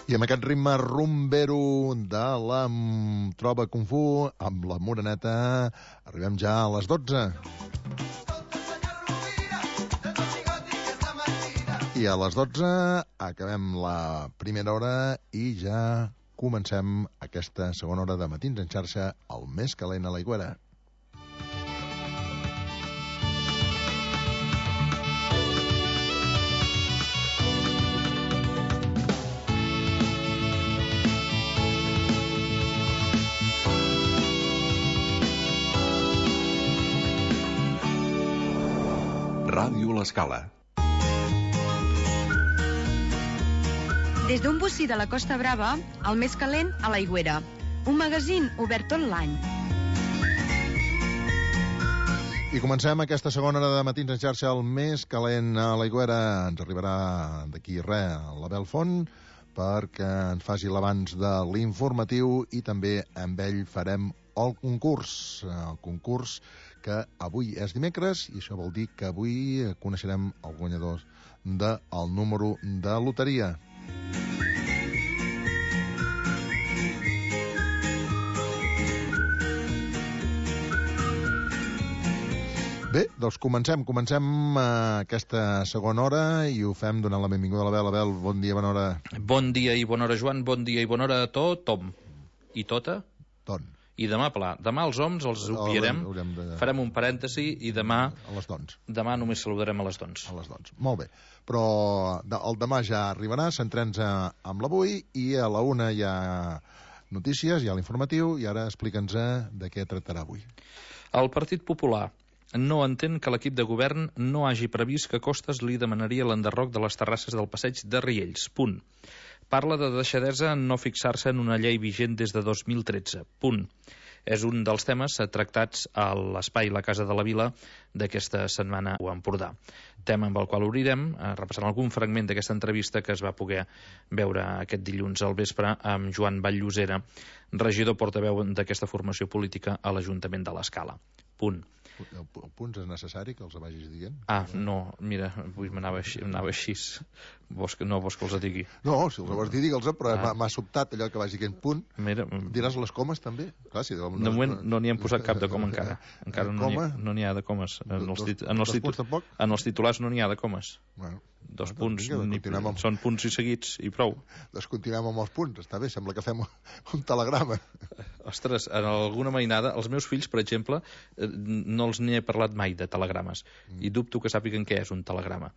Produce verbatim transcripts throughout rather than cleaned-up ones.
I amb aquest ritme rumbero de la Trova Kung Fu, amb la Moreneta, arribem ja a les dotze. I a les dotze acabem la primera hora i ja comencem aquesta segona hora de Matins en xarxa, el més calent a l'Aigüera. Ràdio L'Escala. Des d'un bocí de la Costa Brava, el més calent a l'Aigüera. Un magazín obert tot l'any. I comencem aquesta segona hora de Matins en xarxa, el més calent a l'Aigüera. Ens arribarà d'aquí res l'Abel Font perquè ens faci l'abans de l'informatiu i també amb ell farem el concurs. El concurs que avui és dimecres i això vol dir que avui coneixerem el guanyador del número de loteria. Bé, doncs comencem, comencem aquesta segona hora i ho fem donant la benvinguda a l'Abel. Abel, bon dia, bona hora. Bon dia i bona hora, Joan, bon dia i bona hora a tothom. I tota? Ton. I demà, pla. Demà els homes els obviarem, de... farem un parèntesi i demà... A les dons. Demà només saludarem a les dons. A les dons, molt bé. Però el demà ja arribarà, centrem-nos amb l'avui i a la una hi ha notícies, hi ha l'informatiu i ara explica'ns de què tractarà avui. El Partit Popular no entén que l'equip de govern no hagi previst que Costas li demanaria l'enderroc de les terrasses del passeig de Riells. Punt. Parla de deixadesa en no fixar-se en una llei vigent des de dos mil tretze. Punt. És un dels temes tractats a l'espai La Casa de la Vila d'aquesta setmana a Empordà. Tema amb el qual obrirem, repassant algun fragment d'aquesta entrevista que es va poder veure aquest dilluns al vespre amb Joan Vall-Llosera, regidor portaveu d'aquesta formació política a l'Ajuntament de l'Escala. Punt. El punt és necessari que els vagis dient? Ah, no, mira, avui m'anava així, m'anava així. Vols que, no vols que els digui? No, si els vols dir, digue'ls, però ah. m'ha sobtat allò que vagi dient punt. Mira, diràs les comes també? Clar, si de no, moment no n'hi hem posat cap de coma encara. Encara no n'hi no ha de comes. En els, tit en, els titu en els titulars no n'hi ha de comes. Bueno, dos bueno, punts, vinga, ni, amb... són punts i seguits i prou. Doncs continuem amb els punts, està bé, sembla que fem un telegrama. Ostres, en alguna mainada, els meus fills, per exemple, no els n'hi he parlat mai de telegrames, mm. i dubto que sàpiguen què és un telegrama.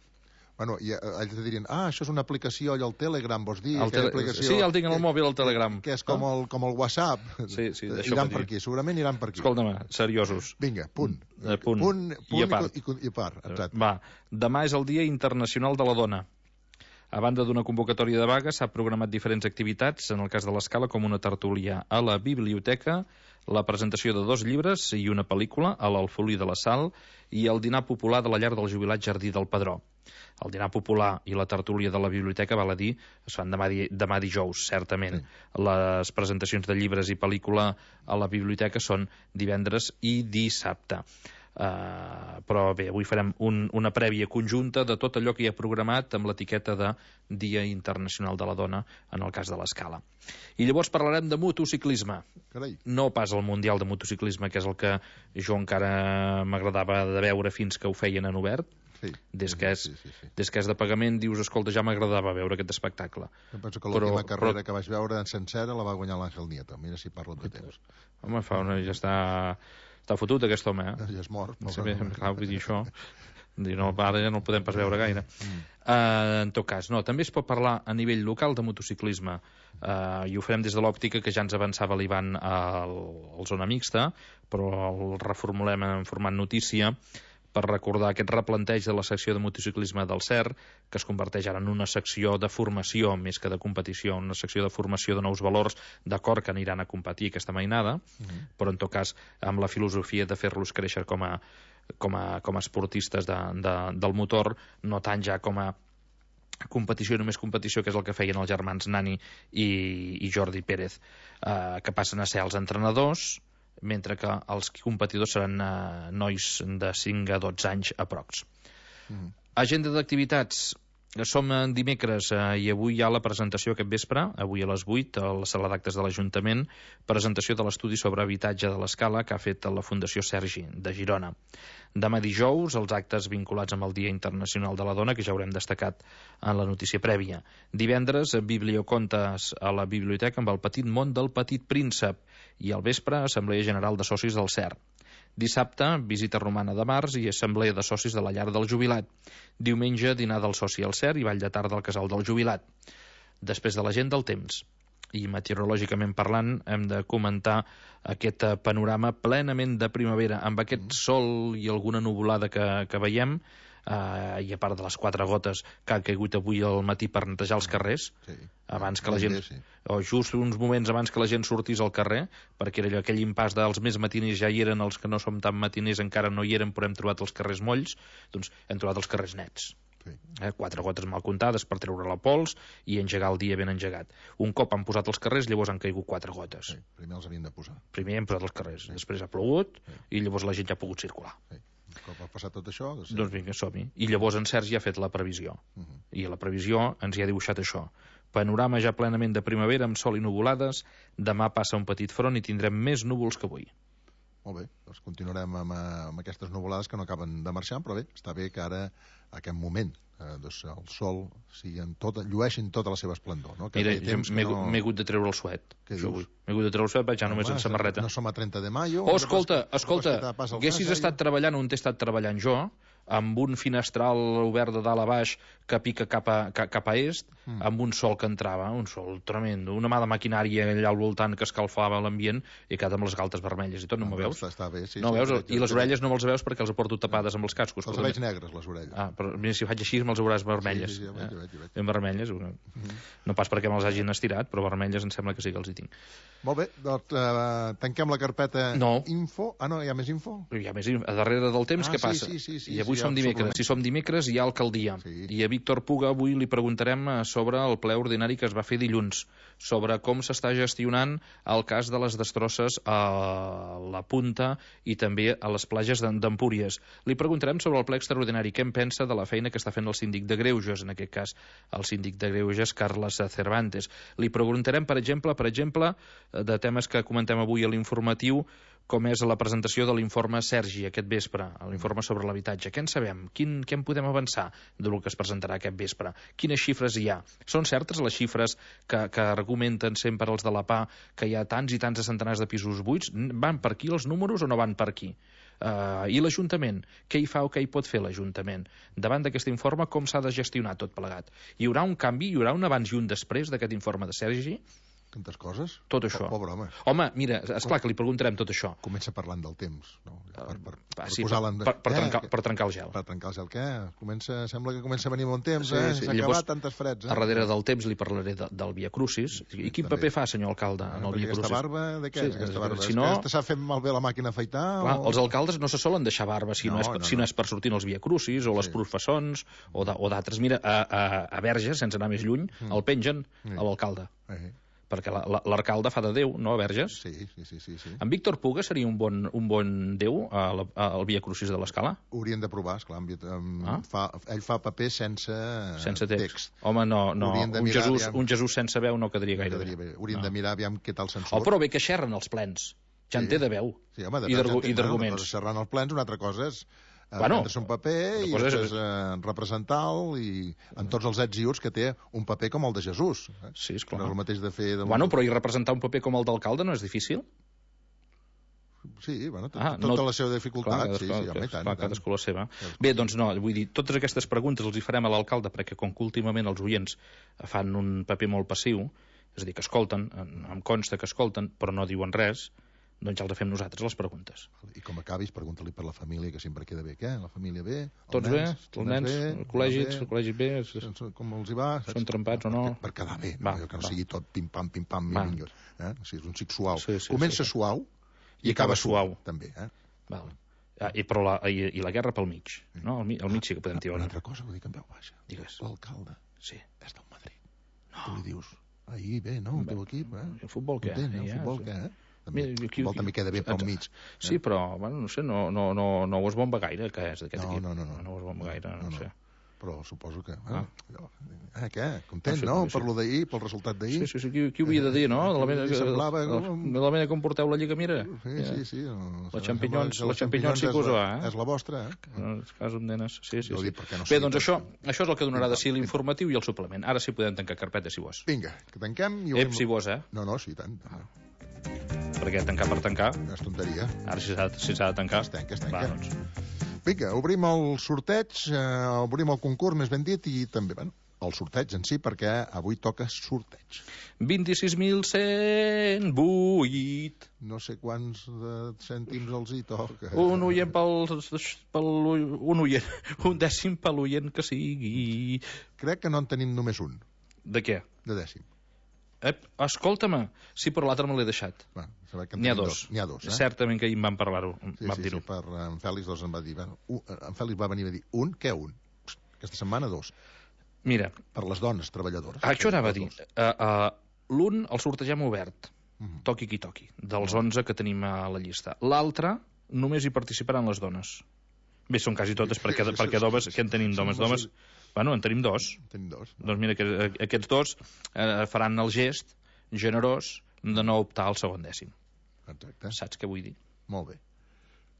Bueno, i ells te dirien, ah, això és una aplicació, allò, el Telegram, vols dir? El tele... aplicació... Sí, el tinc en el mòbil, el Telegram. Que és com, no? el, com el WhatsApp. Sí, sí, iran per aquí, segurament iran per aquí. Escolta'm, seriosos. Vinga, punt. Uh, punt. Punt, punt i a part. I, i, i part, exacte. Va, demà és el Dia Internacional de la Dona. A banda d'una convocatòria de vaga, s'ha programat diferents activitats, en el cas de l'Escala, com una tertúlia a la biblioteca, la presentació de dos llibres i una pel·lícula a l'Alfolí de la Sal i el dinar popular de la llar del jubilat Jardí del Pedró. El dinar popular i la tertúlia de la biblioteca, val a dir, es fan demà, di demà dijous, certament. Sí. Les presentacions de llibres i pel·lícula a la biblioteca són divendres i dissabte. Uh, però bé, avui farem un, una prèvia conjunta de tot allò que hi ha programat amb l'etiqueta de Dia Internacional de la Dona en el cas de l'Escala. I llavors parlarem de motociclisme. Carai. No pas el Mundial de Motociclisme, que és el que jo encara m'agradava de veure fins que ho feien en obert. Sí, des, que és, sí, sí, sí. des que és de pagament dius, escolta, ja m'agradava veure aquest espectacle. Em penso que l'última carrera però... que vaig veure en sencera la va guanyar l'Àngel Nieto. Mira si parlo de temps. Home, fa una... ja està... Està fotut aquest home, eh? Ja és mort. No, bé, clar, vull dir això. Dir, no, ara ja no el podem pas veure gaire. Mm. Uh, en tot cas, no, també es pot parlar a nivell local de motociclisme. Uh, I ho farem des de l'òptica que ja ens avançava l'Ivan al, al Zona Mixta, però el reformulem en format notícia per recordar aquest replanteig de la secció de motociclisme del C E R, que es converteix ara en una secció de formació més que de competició, una secció de formació de nous valors, d'acord que aniran a competir aquesta mainada, mm-hmm. però en tot cas amb la filosofia de fer-los créixer com a, com a, com a esportistes de, de, del motor, no tant ja com a competició, només competició, que és el que feien els germans Nani i, i Jordi Pérez, eh, que passen a ser els entrenadors, mentre que els competidors seran eh, nois de cinc a dotze anys aprox. Mm. Agenda d'activitats. Som en dimecres eh, i avui hi ha la presentació aquest vespre, avui a les vuit, a la sala d'actes de l'Ajuntament, presentació de l'estudi sobre habitatge de l'Escala que ha fet la Fundació Sergi de Girona. Demà dijous, els actes vinculats amb el Dia Internacional de la Dona, que ja haurem destacat en la notícia prèvia. Divendres, bibliocontes a la biblioteca amb el petit món del Petit Príncep i al vespre, Assemblea General de Socis del C E R. Dissabte, visita romana de març i assemblea de socis de la llar del jubilat. Diumenge, dinar del soci al C E R i ball de tarda al casal del jubilat. Després de l'agenda, el temps. I meteorològicament parlant, hem de comentar aquest panorama plenament de primavera, amb aquest sol i alguna nuvolada que, que veiem, eh, i a part de les quatre gotes que han caigut avui al matí per netejar els carrers, Sí. abans que la gent, Bé, sí. o just uns moments abans que la gent sortís al carrer, perquè era allò, aquell impàs dels més matiners ja hi eren, els que no som tan matiners encara no hi eren, però hem trobat els carrers molls, doncs hem trobat els carrers nets. Sí. Eh, quatre gotes mal comptades per treure la pols i engegar el dia ben engegat. Un cop han posat els carrers, llavors han caigut quatre gotes. Sí. Primer els havien de posar. Primer hem posat els carrers, després ha plogut i llavors la gent ja ha pogut circular. Sí. Un cop ha passat tot això... Doncs, Doncs vinga, som-hi. I llavors en Sergi ha fet la previsió. Uh -huh. I a la previsió ens hi ha dibuixat això. Panorama ja plenament de primavera amb sol i nuvolades. Demà passa un petit front i tindrem més núvols que avui. Molt bé, doncs continuarem amb, amb aquestes nuvolades que no acaben de marxar, però bé, està bé que ara, a aquest moment, eh, doncs el sol sigui en tot, llueixin tota la seva esplendor. No? Que Mira, feia jo temps que m'he no... m'he hagut de treure el suet. Què això dius? avui. M'he hagut de treure el suet, vaig ja només Home, en samarreta. No som a trenta de maio... Oh, escolta, escolta, que te passa el haguessis gas, estat eh? treballant on he estat treballant jo, amb un finestral obert de dalt a baix que pica cap a, cap, cap a est, mm. amb un sol que entrava, un sol tremendo, una mà de maquinària allà al voltant que escalfava l'ambient i cada amb les galtes vermelles i tot, no No, m'ho veus? Està, està bé, sí. no sí, veus? sí, I les sí. orelles no me'ls veus perquè els porto tapades amb els cascos. Els però veig també- negres, les orelles. Ah, però mira, si faig així me'ls veuràs vermelles. Sí, sí, sí, ja veig, ja veig, ja veig. Ben vermelles, no, no pas perquè me'ls hagin estirat, però vermelles em sembla que sí que els hi tinc. Molt bé, doncs uh, tanquem la carpeta No. info. Ah, no, hi ha més info? Però hi ha més a darrere del temps, Ah, què sí, passa? sí, sí, sí, I avui sí, som ja, dimecres. suplement. Si som dimecres hi ha alcaldia. Sí. I a Víctor Puga avui li preguntarem eh, sobre el ple ordinari que es va fer dilluns, sobre com s'està gestionant el cas de les destrosses a la Punta i també a les platges d'Em- d'Empúries. Li preguntarem sobre el ple extraordinari, què en pensa de la feina que està fent el síndic de Greuges, en aquest cas el síndic de Greuges, Carles Cervantes. Li preguntarem, per exemple, per exemple, eh, de temes que comentem avui a l'informatiu, com és la presentació de l'informe Sergi aquest vespre, l'informe sobre l'habitatge. Què en sabem? Quin, què en podem avançar del que es presentarà aquest vespre? Quines xifres hi ha? Són certes les xifres que, que argumenten sempre els de la P A que hi ha tants i tants de centenars de pisos buits? Van per aquí els números o no van per aquí? Uh, I l'Ajuntament? Què hi fa o què hi pot fer l'Ajuntament? Davant d'aquest informe, com s'ha de gestionar tot plegat? Hi haurà un canvi? Hi haurà un abans i un després d'aquest informe de Sergi? Tantes coses? Tot això. Po- Pobre home. Home, mira, esclar que li preguntarem tot això. Comença parlant del temps, no? Per, per, Ah, per sí, posar-la per, en... per, per, Eh, trencar, que- per trencar el gel. Per trencar el gel, què? Comença, sembla que comença a venir bon temps, Sí, eh? sí. S'ha Llavors, acabat tantes freds, eh? A darrere del temps li parlaré de, del Via Crucis. I quin també. paper fa, senyor alcalde, en el Perquè Via aquesta Crucis? barba, de què Sí, és aquesta barba? si És no- que aquesta s'ha fet malbé la màquina a afaitar? Clar, o... els alcaldes no se solen deixar barba si no, No, és, per, no, si no no. és per sortir als Via Crucis o les Sí. professons o de- o d'altres. Mira, a, a, a Verges, sense anar més lluny, Mm. el pengen Sí. a l'alcalde. Eh, Perquè la- la- l'alcalde fa de Déu, no, a Verges? sí, sí, sí, sí, sí. En Víctor Puga seria un bon, un bon Déu a la, a, al Via Crucis de l'Escala? Haurien de provar, esclar. Amb, amb, Ah. fa, ell fa paper sense, Sense text. text. Home, no, no. Haurien de Un mirar, Jesús, aviam. un Jesús sense veu no quedaria No gaire quedaria bé. bé. Haurien No. de mirar aviam què tal se'n Oh, surt. però bé que xerren els plens. Ja en Sí. té de veu. Sí, home, de I tant d'argu- ja en i té, d'arguments. Una cosa és xerrar en el plens, una altra cosa és eh, Bueno, prendre-se un paper i una cosa és- després eh, representar-lo i en tots els ets i uts que té un paper com el de Jesús. Eh? Sí, esclar. No és el mateix de fer... De... Bueno, però i representar un paper com el d'alcalde no és difícil? Sí, bueno, tot, Ah, tota no- la seva dificultat. Clar, sí, cadascú, sí, home, i tant, clar, i tant. cadascú la seva. Bé, doncs no, vull dir, totes aquestes preguntes els hi farem a l'alcalde perquè com que últimament els oients fan un paper molt passiu, és a dir, que escolten, em em consta que escolten, però no diuen res, doncs ja els fem nosaltres les preguntes. I com acabis, pregunta-li per la família, que sempre queda bé. Què? La família bé? Els Tots bé? nens, Els nens, el col·legi, el col·legi bé? és- Sense- Com els hi va? saps? Són trempats o no? Per, per quedar bé, Va, no? que no va. sigui tot pim-pam, pim-pam, Va. vinga. Eh? O sigui, és un xic suau. Sí, sí, Comença sí. suau I acaba suau. També, eh? Val. Ah, i, però la, i, i la guerra pel mig, no? Al, mi- al mig sí que podem tirar Una una... altra cosa, ho dic en veu baixa. Digues. L'alcalde Sí. és del Madrid. No. Tu li dius, ahir bé, no, el teu equip, eh? El futbol què? Content, el Ja, futbol sí. què, eh? També, Mira, el aquí- futbol també queda bé pel Exacte. mig. Sí, però, bueno, no sé, no, no, no, no ho es bomba gaire, que és d'aquest No, equip. no, no, no. No ho es bomba gaire, no, No, no. sé. Però suposo que... Ah. Eh, què? Content, Ah, sí, no? sí. Per lo d'ahir, pel resultat d'ahir? Sí, sí, sí, qui, qui ho havia de dir, no? De la Qui manera, semblava de, com- de la manera com porteu la lliga, mira. Sí, sí, sí. Les xampinyons- les xampinyons sí que us va, eh? És la vostra, eh? En el cas d'un nenes. Sí, sí, Jo sí. dic perquè no Bé, sigui doncs tot. això, això és el que donarà de si l'informatiu i el suplement. Ara sí podem tancar carpeta, si vols. Vinga, que tanquem i... Ep, si vols, eh? No, no, sí, tant. Ah. Perquè tancar per tancar, És tonteria. ara si s'ha si s'ha de tancar... Es tanca, es tanca. Va, doncs. Vinga, obrim el sorteig, eh, obrim el concurs, més ben dit, i també, bueno, el sorteig en si, perquè avui toca sorteig. vint-i-sis mil cent vuit. No sé quants de cèntims els hi toca. Un oient pel, pel... Un oient. Un dècim per l'oient que sigui. Crec que no en tenim només un, De què? de dècim. Ep, escolta-me. Sí, però l'altre me l'he deixat. Va, saber que en N'hi ha tenim dos. N'hi ha dos, eh? Certament que ahir en vam parlar-ho. Sí, vam sí, dir-ho. sí, per en Fèlix doncs em va dir... Bueno, un, en Fèlix va venir a dir, un? Què un? Aquesta setmana dos. Mira, Per les dones treballadores. això anava a dir. Dos. Uh, uh, L'un el sortegem obert. Mhm. Toqui qui toqui. Dels onze que tenim a la llista. L'altre només hi participaran les dones. Bé, són quasi totes, perquè, perquè d'homes... Què en tenim d'homes? D'homes... Bueno, en tenim dos. Tenim dos. Doncs mira, que, aquests dos eh, faran el gest generós de no optar al segon dècim. Exacte. Saps què vull dir? Molt bé.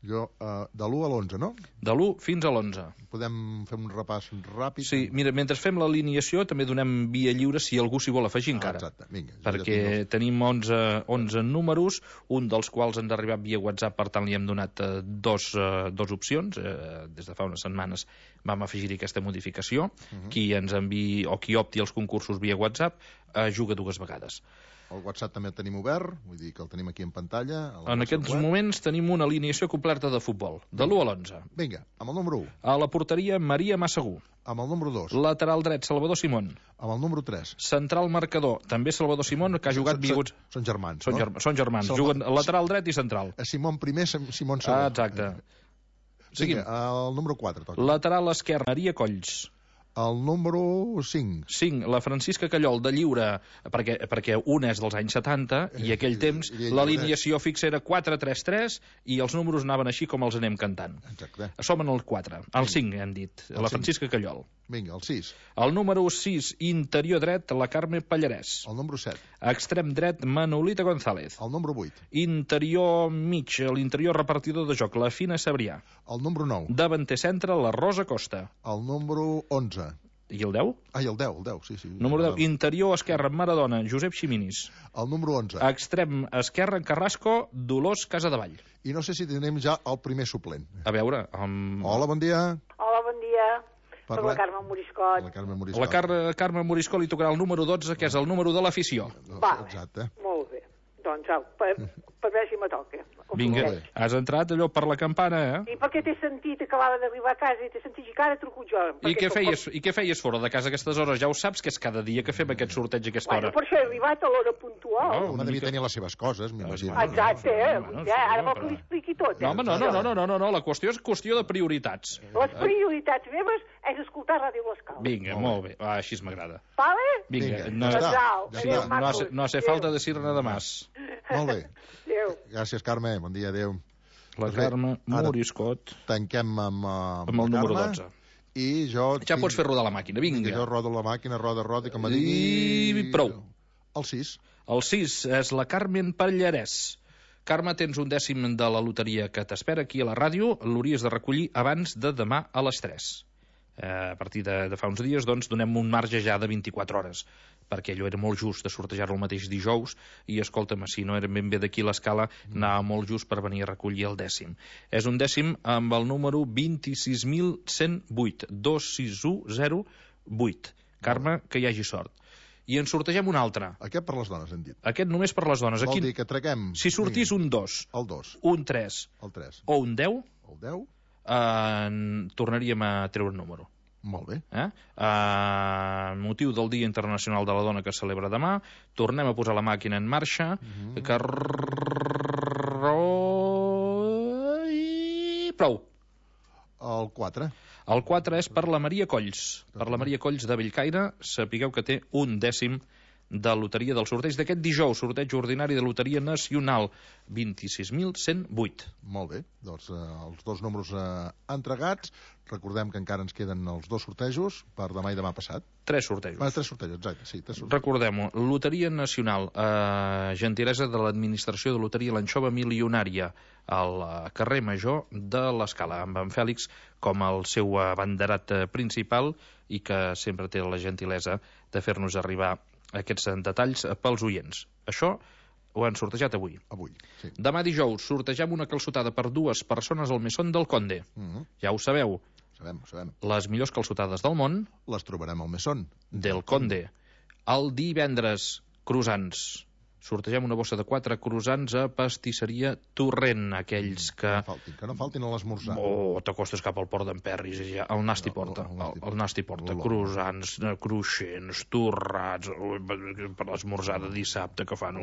Jo, uh, de l'u a l'onze, no? De l'u fins a l'onze. Podem fer un repàs ràpid? Sí, mira, mentre fem l'alineació també donem via lliure si algú s'hi vol afegir encara. Ah, exacte, vinga. jo Perquè ja tinc tenim onze, onze números, un dels quals ens ha arribat via WhatsApp, per tant li hem donat eh, dos, eh, dos opcions. Eh, des de fa unes setmanes vam afegir-hi aquesta modificació. Uh-huh. Qui ens enviï o qui opti als concursos via WhatsApp eh, juga dues vegades. El WhatsApp també el tenim obert, vull dir que el tenim aquí en pantalla. En aquests moments tenim una alineació completa de futbol, de l'u a l'onze. Vinga, amb el número u, A la porteria, Maria Massagú. amb el número dos, Lateral dret, Salvador Simón. amb el número tres. Central marcador, també Salvador Simón, que ha jugat via WhatsApp. Són germans, Són, no? germ són germans, Salva- juguen lateral dret i central. A Simón primer, Sim- Simón segon. Ah, exacte. Vinga, el número quatre, toca. Lateral esquerre, Maria Colls. El número cinc. cinc, la Francisca Callol, de lliure, perquè, perquè un és dels anys setanta, i aquell I- temps i- i- l'alineació fixa era quatre tres tres, i els números anaven així com els anem cantant. Exacte. Som en el quatre, el cinc hem dit, El la cinc. Francisca Callol. Vinga, el sis. El número sis, interior dret, la Carme Pallarès. El número set. Extrem dret, Manolita González. El número vuit. Interior mig, l'interior repartidor de joc, la Fina Sabrià. El número nou. Davanter centre, la Rosa Costa. El número onze. I el deu? Ai, el deu, el deu, sí, sí. Número deu, interior esquerre, Maradona, Josep Ximinis. El número onze. Extrem esquerre, Carrasco, Dolors Casadevall. I no sé si tenim ja el primer suplent. A veure, amb... Hola, bon dia. Hola, bon dia. Soc Parla- la Carme Moriscot. La Carme Moriscot. la Car Carme Morisco li tocarà el número dotze, que és el número de l'afició. Va, Exacte. molt bé. Doncs au, per, per veure si me toca. Vinga, Molt bé. has entrat allò per la campana, eh? I perquè t'he sentit, acabava d'arribar a casa i t'he sentit i que ara truco jo. I perquè què, sóc- feies, I què feies fora de casa a aquestes hores? Ja ho saps, que és cada dia que fem aquest sorteig a aquesta Bueno, hora. per això he arribat a l'hora puntual. No, Home, una devia mica- tenir les seves coses, m'imagino. Ah, Exacte, eh? Bueno, ja, sí, ara vol però- que li expliqui tot. Eh? No, home, no, no, no, no, no, no, no, la qüestió és qüestió de prioritats. Les prioritats meves és escoltar Ràdio L'Escala. Vinga, molt bé, ah, així m'agrada. Vale? Vinga, Vinga, no, ja està. Adéu, Ja sí, adéu, està. no, hace, macos. no hace Adéu. falta decir nada más. Molt bé. Adéu. Gràcies, Carme. Bon dia, adéu. La Doncs bé, Carme ara- Moriscot, Tanquem amb, uh, amb el la número Carme. dotze. I jo... Ja pots fer rodar la màquina, Vinga, jo vinga. rodo la màquina, roda, roda, que me I digui... prou. El sis. El sis és la Carmen Pallarès. Carme, tens un dècim de la loteria que t'espera aquí a la ràdio. L'hauries de recollir abans de demà a les tres. Eh, a partir de, de fa uns dies, doncs, donem un marge ja de vint-i-quatre hores, perquè allò era molt just de sortejar-lo el mateix dijous, i escolta'm, si no era ben bé d'aquí l'escala, anava molt just per venir a recollir el dècim. És un dècim amb el número vint-i-sis mil cent vuit, dos sis u zero vuit. Carme, que hi hagi sort. I en sortegem un altre. Aquest per les dones, hem dit. Aquest només per les dones. Vol Aquí, dir que traguem... si sortís un dos, El dos, un tres el tres, o un deu, el deu. eh, tornaríem a treure un número. Molt bé. Eh? Uh, motiu del Dia Internacional de la Dona que es celebra demà, tornem a posar la màquina en marxa, Mhm. mm -hmm. Carro... i prou. El quatre. El quatre és per la Maria Colls. Per la Maria Colls de Bellcaire, sapigueu que té un dècim de loteria del sorteig d'aquest dijous, sorteig ordinari de loteria nacional, vint-i-sis mil cent vuit. Molt bé, doncs eh, els dos números eh, entregats. Recordem que encara ens queden els dos sortejos per demà i demà passat. Tres sortejos. Ah, tres sortejos, exacte, sí. Tres sortejos. Recordem-ho, loteria nacional, eh, gentilesa de l'administració de loteria l'Anxova Milionària, al carrer Major de l'Escala, amb en Fèlix com el seu abanderat principal i que sempre té la gentilesa de fer-nos arribar aquests detalls pels oients. Això ho han sortejat avui. Avui, sí. Demà dijous sortegem una calçotada per dues persones al Mesón del Conde. Mm -hmm. Ja ho sabeu. Sabem, sabem. Les millors calçotades del món. Les trobarem al Mesón del Conde. El divendres, croissants. Sortegem una bossa de quatre croissants a pastisseria Torrent, aquells que... Que no faltin, que no faltin a l'esmorzar. Oh, t'acostes cap al port d'en Perris i ja el Nasti porta, El- el el, Nasti el Nasti porta, Olor. croissants, eh, cruixents, torrats, eh, per l'esmorzar de dissabte que fan,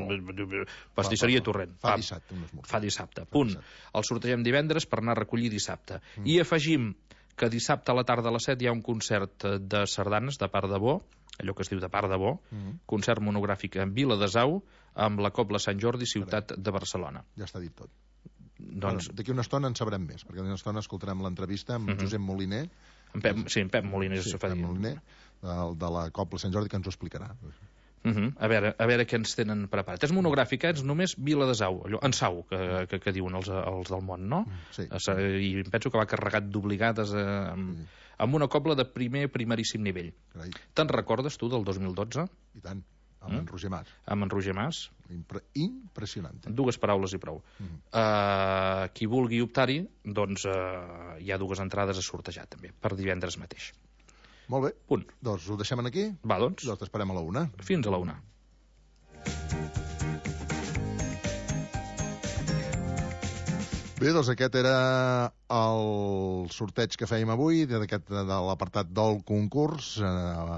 pastisseria Torrent. Fa dissabte un esmorzar. Fa dissabte, punt. dissabte. El sortegem divendres per anar a recollir dissabte. I afegim que dissabte a la tarda a les set hi ha un concert de sardanes de part de bo, allò que es diu de part de bo, concert monogràfic en Vila de Sau, amb la Cobla Sant Jordi, ciutat de Barcelona. Ja està dit tot. Doncs, Bueno, d'aquí una estona en sabrem més, perquè d'aquí una estona escoltarem l'entrevista amb Josep Moliner, en Pep, sí, en Pep Moliner sí, se fa Pep dir. Moliner de, de la Cobla Sant Jordi, que ens ho explicarà. Uh -huh. a, veure, a veure què ens tenen preparat. És monogràfic, eh? És només Vila de Sau, allò, en Sau, que, que, que diuen els, els del món, no? Sí. I penso que va carregat d'obligades eh, amb, amb una cobla de primer, primeríssim nivell. Carai, Te'n recordes, tu, del dos mil dotze, i tant, amb mm? en Roger Mas. amb en Roger Mas? Impre impressionant. Dues paraules i prou. Mm. Uh, qui vulgui optar-hi, doncs uh, hi ha dues entrades a sortejar, també, per divendres mateix. Molt bé, Punt. doncs ho deixem aquí. Va, doncs, Doncs t'esperem a la una. fins a la una. Bé, doncs aquest era el sorteig que fèiem avui, d'aquest de l'apartat del concurs. Eh,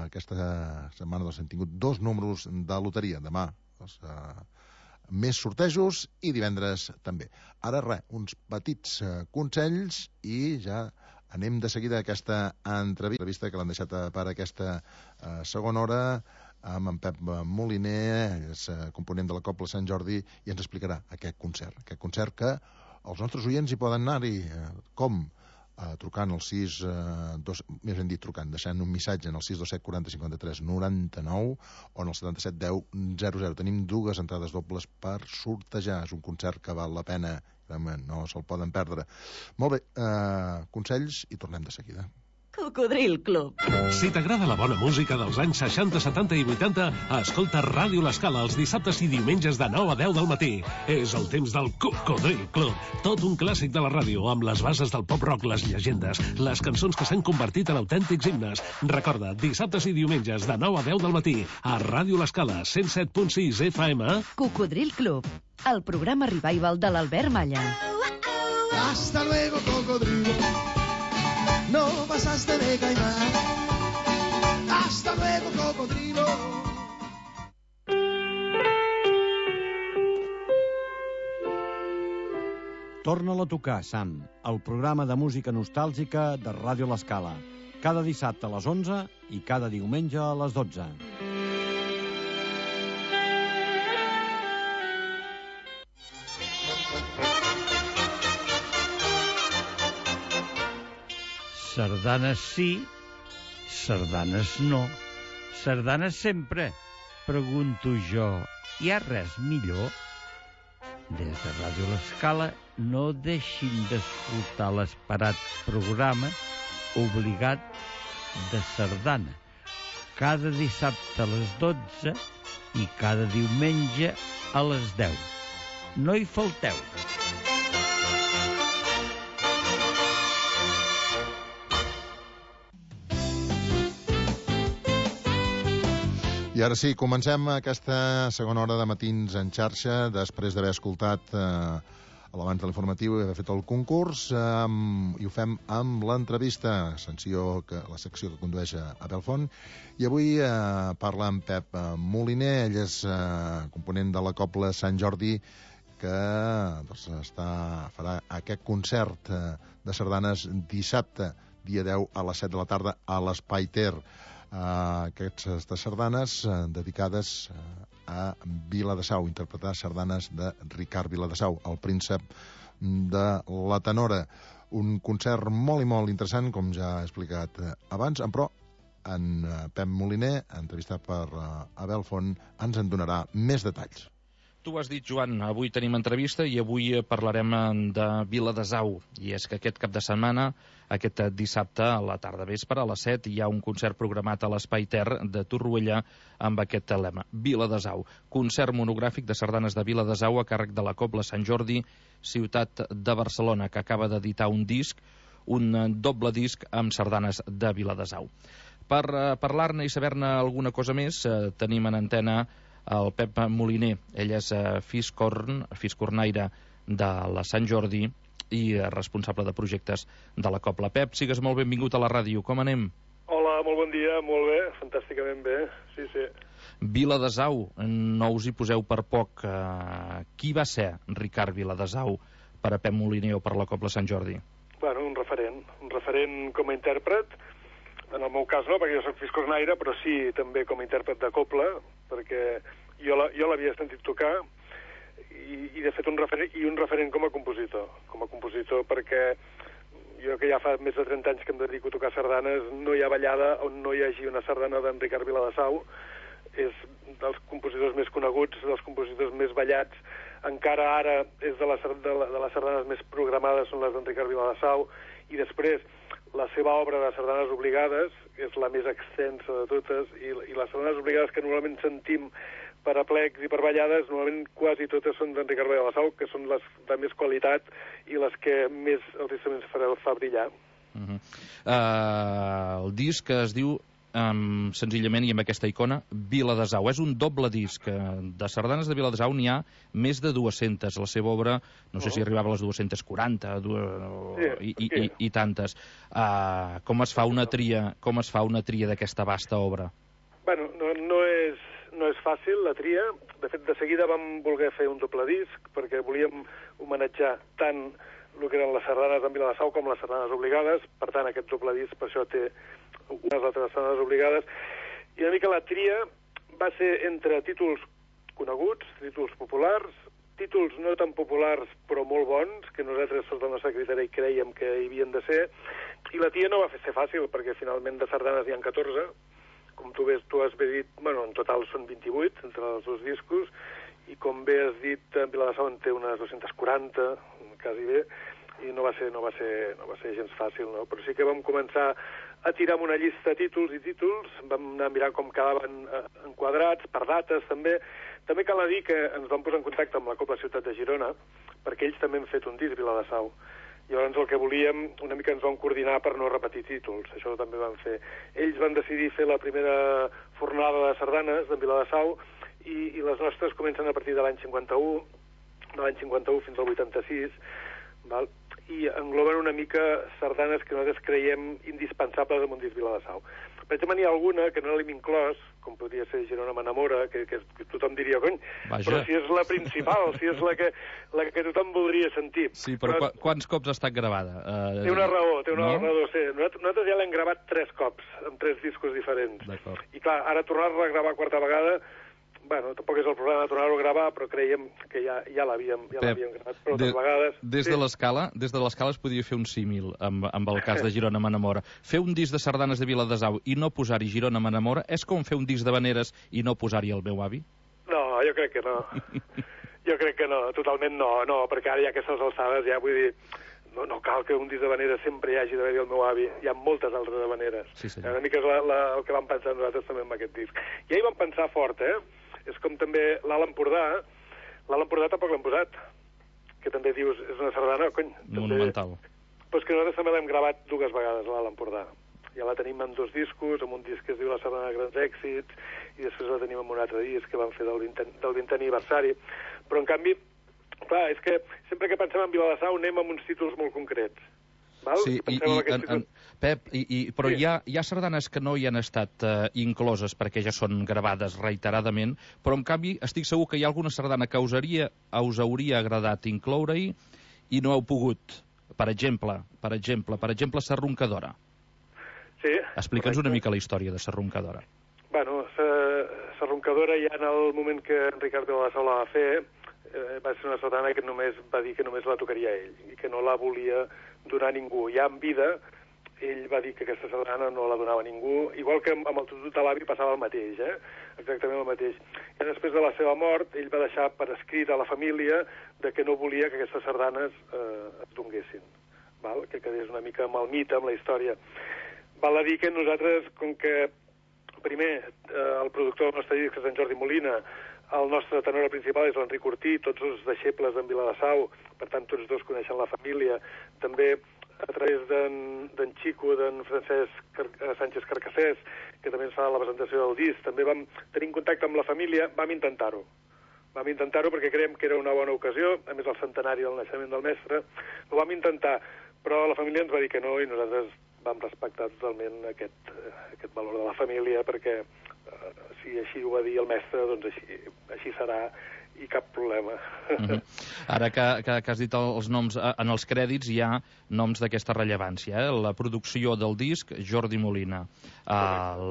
aquesta setmana doncs, hem tingut dos números de loteria. Demà doncs, eh, més sortejos i divendres també. Ara res, uns petits eh, consells i ja anem de seguida a aquesta entrevista que l'han deixat per aquesta eh, segona hora amb en Pep Moliner, és eh, component de la Cobla Sant Jordi, i ens explicarà aquest concert. Aquest concert que els nostres oients hi poden anar-hi. Eh, com? Eh, trucant al sis, eh, dos, més ben dit trucant, deixant un missatge en el sis dos set quaranta cinquanta-tres noranta-nou o en el setanta-set deu zero zero. Tenim dues entrades dobles per sortejar. És un concert que val la pena, no se'l poden perdre. Molt bé, eh, consells i tornem de seguida. Cocodril Club. Si t'agrada la bona música dels anys seixanta, setanta i vuitanta, escolta Ràdio L'Escala els dissabtes i diumenges de nou a deu del matí. És el temps del Cocodril Club. Tot un clàssic de la ràdio, amb les bases del pop-rock, les llegendes, les cançons que s'han convertit en autèntics himnes. Recorda, dissabtes i diumenges de nou a deu del matí, a Ràdio L'Escala, cent set punt sis F M. Cocodril Club, el programa revival de l'Albert Malla. Hasta luego, cocodrilo. No pasaste de caimán. Hasta luego, cocodrilo. Torna-la a tocar, Sam, el programa de música nostàlgica de Ràdio L'Escala. Cada dissabte a les onze i cada diumenge a les dotze. Sardanes sí, sardanes no. Sardanes sempre, pregunto jo. Hi ha res millor? Des de Ràdio L'Escala no deixin d'escoltar l'esperat programa obligat de sardana. Cada dissabte a les dotze i cada diumenge a les deu. No hi falteu. I ara sí, comencem aquesta segona hora de Matins en xarxa, després d'haver escoltat eh, l'abans de l'informatiu i haver fet el concurs, eh, i ho fem amb l'entrevista, secció que, la secció que condueix a Abel Font, i avui eh, parla amb Pep Moliner. Ell és eh, component de la Cobla Sant Jordi, que doncs, està, farà aquest concert eh, de sardanes dissabte, dia deu a les set de la tarda, a l'Espai Ter. Uh, aquestes sardanes uh, dedicades uh, a Viladasau, interpretar sardanes de Ricard Viladasau, el príncep de la tenora. Un concert molt i molt interessant, com ja he explicat uh, abans, però en uh, Pep Moliner, entrevistat per uh, Abel Font, ens en donarà més detalls. Tu ho has dit, Joan, avui tenim entrevista i avui parlarem de Viladasau. I és que aquest cap de setmana, aquest dissabte a la tarda vespre, a les set, hi ha un concert programat a l'Espai Ter de Torroella amb aquest lema, Viladasau. Concert monogràfic de sardanes de Viladasau a càrrec de la Cobla Sant Jordi, ciutat de Barcelona, que acaba d'editar un disc, un doble disc amb sardanes de Viladasau. Per uh, parlar-ne i saber-ne alguna cosa més, uh, tenim en antena el Pep Moliner. Ell és uh, fiscorn, fiscornaire de la Sant Jordi i uh, responsable de projectes de la Cobla. Pep, sigues molt benvingut a la ràdio. Com anem? Hola, molt bon dia, molt bé, fantàsticament bé, sí, sí. Viladasau, no us hi poseu per poc. Uh, qui va ser Ricard Viladasau per a Pep Moliner o per la Cobla Sant Jordi? Bueno, un referent, un referent com a intèrpret. En el meu cas no, perquè jo soc fiscornaire, però sí també com a intèrpret de cobla, perquè jo l'havia sentit tocar i, i de fet un referent, i un referent com a compositor. Com a compositor perquè jo que ja fa més de trenta anys que em dedico a tocar sardanes, no hi ha ballada on no hi hagi una sardana d'en Ricard Viladasau. És dels compositors més coneguts, dels compositors més ballats. Encara ara és de les, de, la, de les sardanes més programades són les d'en Ricard Viladasau, i després la seva obra de sardanes obligades és la més extensa de totes, i, i les sardanes obligades que normalment sentim per aplecs i per ballades, normalment quasi totes són d'en Ricard Viladasau, que són les de més qualitat i les que més els instruments fa, fa brillar. Uh -huh. uh, el disc es diu Um, senzillament, i amb aquesta icona, Viladasau. És un doble disc. De sardanes de Viladasau n'hi ha més de dues-centes. La seva obra, no sé uh -huh. si arribava a les dues-centes quaranta du sí, i, i, i, i tantes. Uh, com es fa una tria, com es fa una tria d'aquesta vasta obra? Bueno, no, no, és, no és fàcil la tria. De fet, de seguida vam voler fer un doble disc perquè volíem homenatjar tant el que eren les sardanes d'en Viladasau com les sardanes obligades. Per tant, aquest doble disc per això té unes altres sardanes obligades. I una mica la tria va ser entre títols coneguts, títols populars, títols no tan populars però molt bons, que nosaltres sota el nostre criteri creiem que hi havien de ser, i la tria no va ser fàcil, perquè finalment de sardanes n'hi ha catorze, com tu, ves, tu has bé dit, bueno, en total són vint-i-vuit entre els dos discos, i com bé has dit, en Viladasau en té unes dues-centes quaranta, quasi bé, i no va ser, no va ser, no va ser gens fàcil, no? Però sí que vam començar a tirar amb una llista de títols i títols, vam anar a mirar com quedaven enquadrats, per dates també. També cal dir que ens vam posar en contacte amb la Cobla Ciutat de Girona, perquè ells també han fet un disc Viladasau. Llavors el que volíem, una mica ens vam coordinar per no repetir títols, això també vam fer. Ells van decidir fer la primera fornada de sardanes de Viladasau, i, i les nostres comencen a partir de l'any cinquanta-u, de l'any cinquanta-u fins al vuitanta-sis, val? I engloben una mica sardanes que nosaltres creiem indispensables en un disc Viladasau. Per exemple, n'hi ha alguna que no l'hem inclòs, com podria ser Girona m'enamora, que, que, que tothom diria, cony, Vaja. però si és la principal, si és la que, la que tothom voldria sentir. Sí, però, però qu quants cops ha estat gravada? Uh, té una raó, té una no? raó, sí. Nosaltres, nosaltres ja l'hem gravat tres cops, amb tres discos diferents. I clar, ara tornar-la a gravar quarta vegada, bueno, tampoc és el problema de tornar-ho a gravar, però creiem que ja, ja l'havíem ja gravat prou de, vegades. Des sí. de l'escala des de l'escala es podria fer un símil amb, amb el cas de Girona m'enamora. Fer un disc de sardanes de Viladasau i no posar-hi Girona m'enamora és com fer un disc de veneres i no posar-hi el meu avi? No, jo crec que no. Jo crec que no, totalment no, no, perquè ara ja aquestes alçades ja vull dir... No, no cal que un disc de veneres sempre hi hagi d'haver-hi el meu avi. Hi ha moltes altres de veneres. Sí, sí. Una mica és la, la, el que vam pensar nosaltres també amb aquest disc. I ahir vam pensar fort, eh? És com també l'Alt Empordà. L'Alt Empordà tampoc l'hem posat, que també dius, és una sardana, cony. Monumental. També... Però és que nosaltres també l'hem gravat dues vegades, l'Alt Empordà. Ja la tenim en dos discos, amb un disc que es diu La Sardana de Grans Èxits, i després la tenim en un altre disc que vam fer del vintè aniversari. Però, en canvi, clar, és que sempre que pensem en Viladasau anem amb uns títols molt concrets. Val? Sí, i, i, en, en, Pep, i, i, però sí. hi, ha, hi ha sardanes que no hi han estat uh, incloses perquè ja són gravades reiteradament, però en canvi estic segur que hi ha alguna sardana que us, haria, us hauria agradat incloure-hi i no heu pogut. Per exemple, per exemple, per exemple, Sa Roncadora. Sí. Explica'ns una mica la història de Serroncadora. Bueno, Serroncadora ja en el moment que en Ricardo de la Sau la va fer, eh, va ser una sardana que només va dir que només la tocaria ell i que no la volia donar ningú. Ja en vida, ell va dir que aquesta sardana no la donava ningú, igual que amb el tutut de l'avi passava el mateix, eh? Exactament el mateix. I després de la seva mort, ell va deixar per escrit a la família de que no volia que aquestes sardanes eh, es donguessin, val? Que quedés una mica amb el mite, amb la història. Val a dir que nosaltres, com que primer eh, el productor del nostre disc és en Jordi Molina, el nostre tenor principal és l'Enric Ortí, tots els deixebles d'en Viladasau, per tant tots dos coneixen la família, també a través d'en Xico, d'en Francesc Car Sánchez Carcassés, que també ens fa la presentació del disc, també vam tenir contacte amb la família, vam intentar-ho. Vam intentar-ho perquè creiem que era una bona ocasió, a més el centenari del naixement del mestre, ho vam intentar, però la família ens va dir que no i nosaltres vam respectar totalment aquest, aquest valor de la família perquè eh, si així ho va dir el mestre, doncs així, així serà i cap problema. Mm-hmm. Ara que, que, que has dit els noms, en els crèdits hi ha noms d'aquesta rellevància, eh? La producció del disc, Jordi Molina, eh,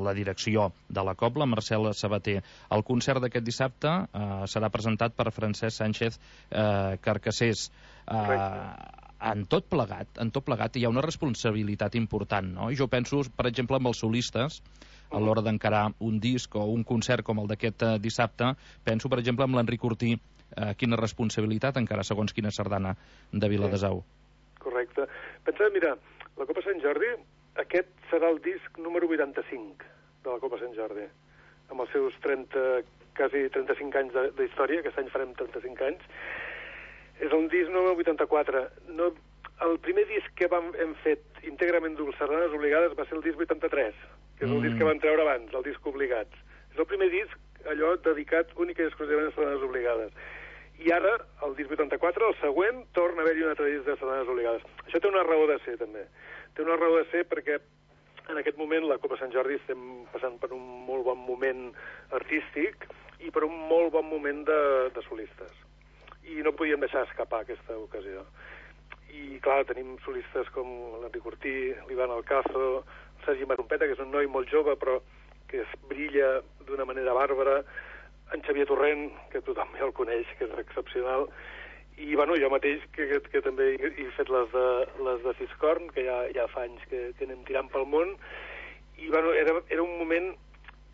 la direcció de la cobla, Marcel Sabater. El concert d'aquest dissabte eh, serà presentat per Francesc Sánchez eh, Carcassés. Eh, en tot plegat, en tot plegat hi ha una responsabilitat important, no? I jo penso, per exemple, amb els solistes, a l'hora d'encarar un disc o un concert com el d'aquest eh, dissabte, penso, per exemple, amb l'Enric Ortí, eh, quina responsabilitat encara segons quina sardana de Viladasau. Sí. Correcte. Pensa, mira, la Copa Sant Jordi, aquest serà el disc número vuitanta-cinc de la Copa Sant Jordi, amb els seus trenta, quasi trenta-cinc anys d'història, aquest any farem trenta-cinc anys. És un disc número vuitanta-quatre. No, el primer disc que vam, hem fet íntegrament dues sardanes obligades va ser el disc vuitanta-tres, que és el mm. disc que van treure abans, el disc Obligats. És el primer disc, allò, dedicat únic i exclusivament a sardanes obligades. I ara, el disc vuitanta-quatre, el següent, torna a haver-hi un altre disc de sardanes obligades. Això té una raó de ser, també. Té una raó de ser perquè en aquest moment la Copa Sant Jordi estem passant per un molt bon moment artístic i per un molt bon moment de, de solistes. I no podíem deixar escapar aquesta ocasió. I, clar, tenim solistes com l'Enric Ortí, l'Ivan Alcazo, el Sergi Marompeta, que és un noi molt jove, però que es brilla d'una manera bàrbara, en Xavier Torrent, que tothom ja el coneix, que és excepcional, i, bueno, jo mateix, que, que, que també he, he fet les de, les de Fiscorn, que ja, ja fa anys que, que anem tirant pel món, i, bueno, era, era un moment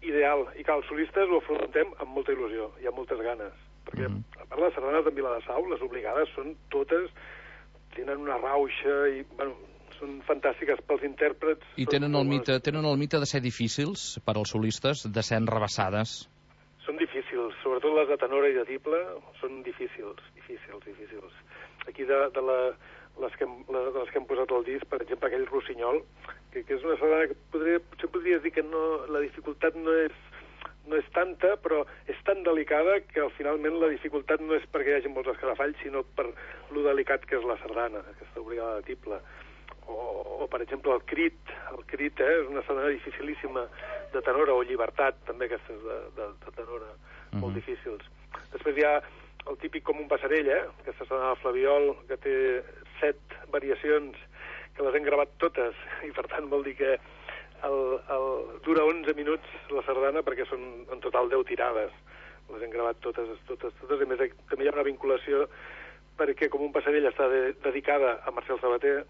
ideal. I, clar, els solistes ho afrontem amb molta il·lusió i amb moltes ganes. Perquè, a part de les sardanes de Viladasau, les obligades són totes, tenen una rauxa i, bueno, són fantàstiques pels intèrprets. I tenen el, mite, tenen el mite de ser difícils per als solistes, de ser enrebaçades. Són difícils, sobretot les de tenora i de tible, són difícils, difícils, difícils. Aquí de, de, la, les que hem, les, les que hem posat al disc, per exemple, aquell Rossinyol, que, que és una sardana que podria, potser podries dir que no, la dificultat no és no és tanta, però és tan delicada que al finalment la dificultat no és perquè hi hagi molts escarafalls, sinó per lo delicat que és la sardana, aquesta obligada de tible. O, o per exemple, el crit. El crit eh, és una sardana dificilíssima de tenora, o llibertat, també aquestes de, de, de tenora, mm-hmm. molt difícils. Després hi ha el típic com un passarell, eh, aquesta sardana de Flabiol, que té set variacions, que les hem gravat totes, i per tant vol dir que El, el, dura onze minuts la sardana perquè són en total deu tirades. Les hem gravat totes, totes, totes. A més, també hi ha una vinculació perquè com un passarell està de, dedicada a Marcel Sabater,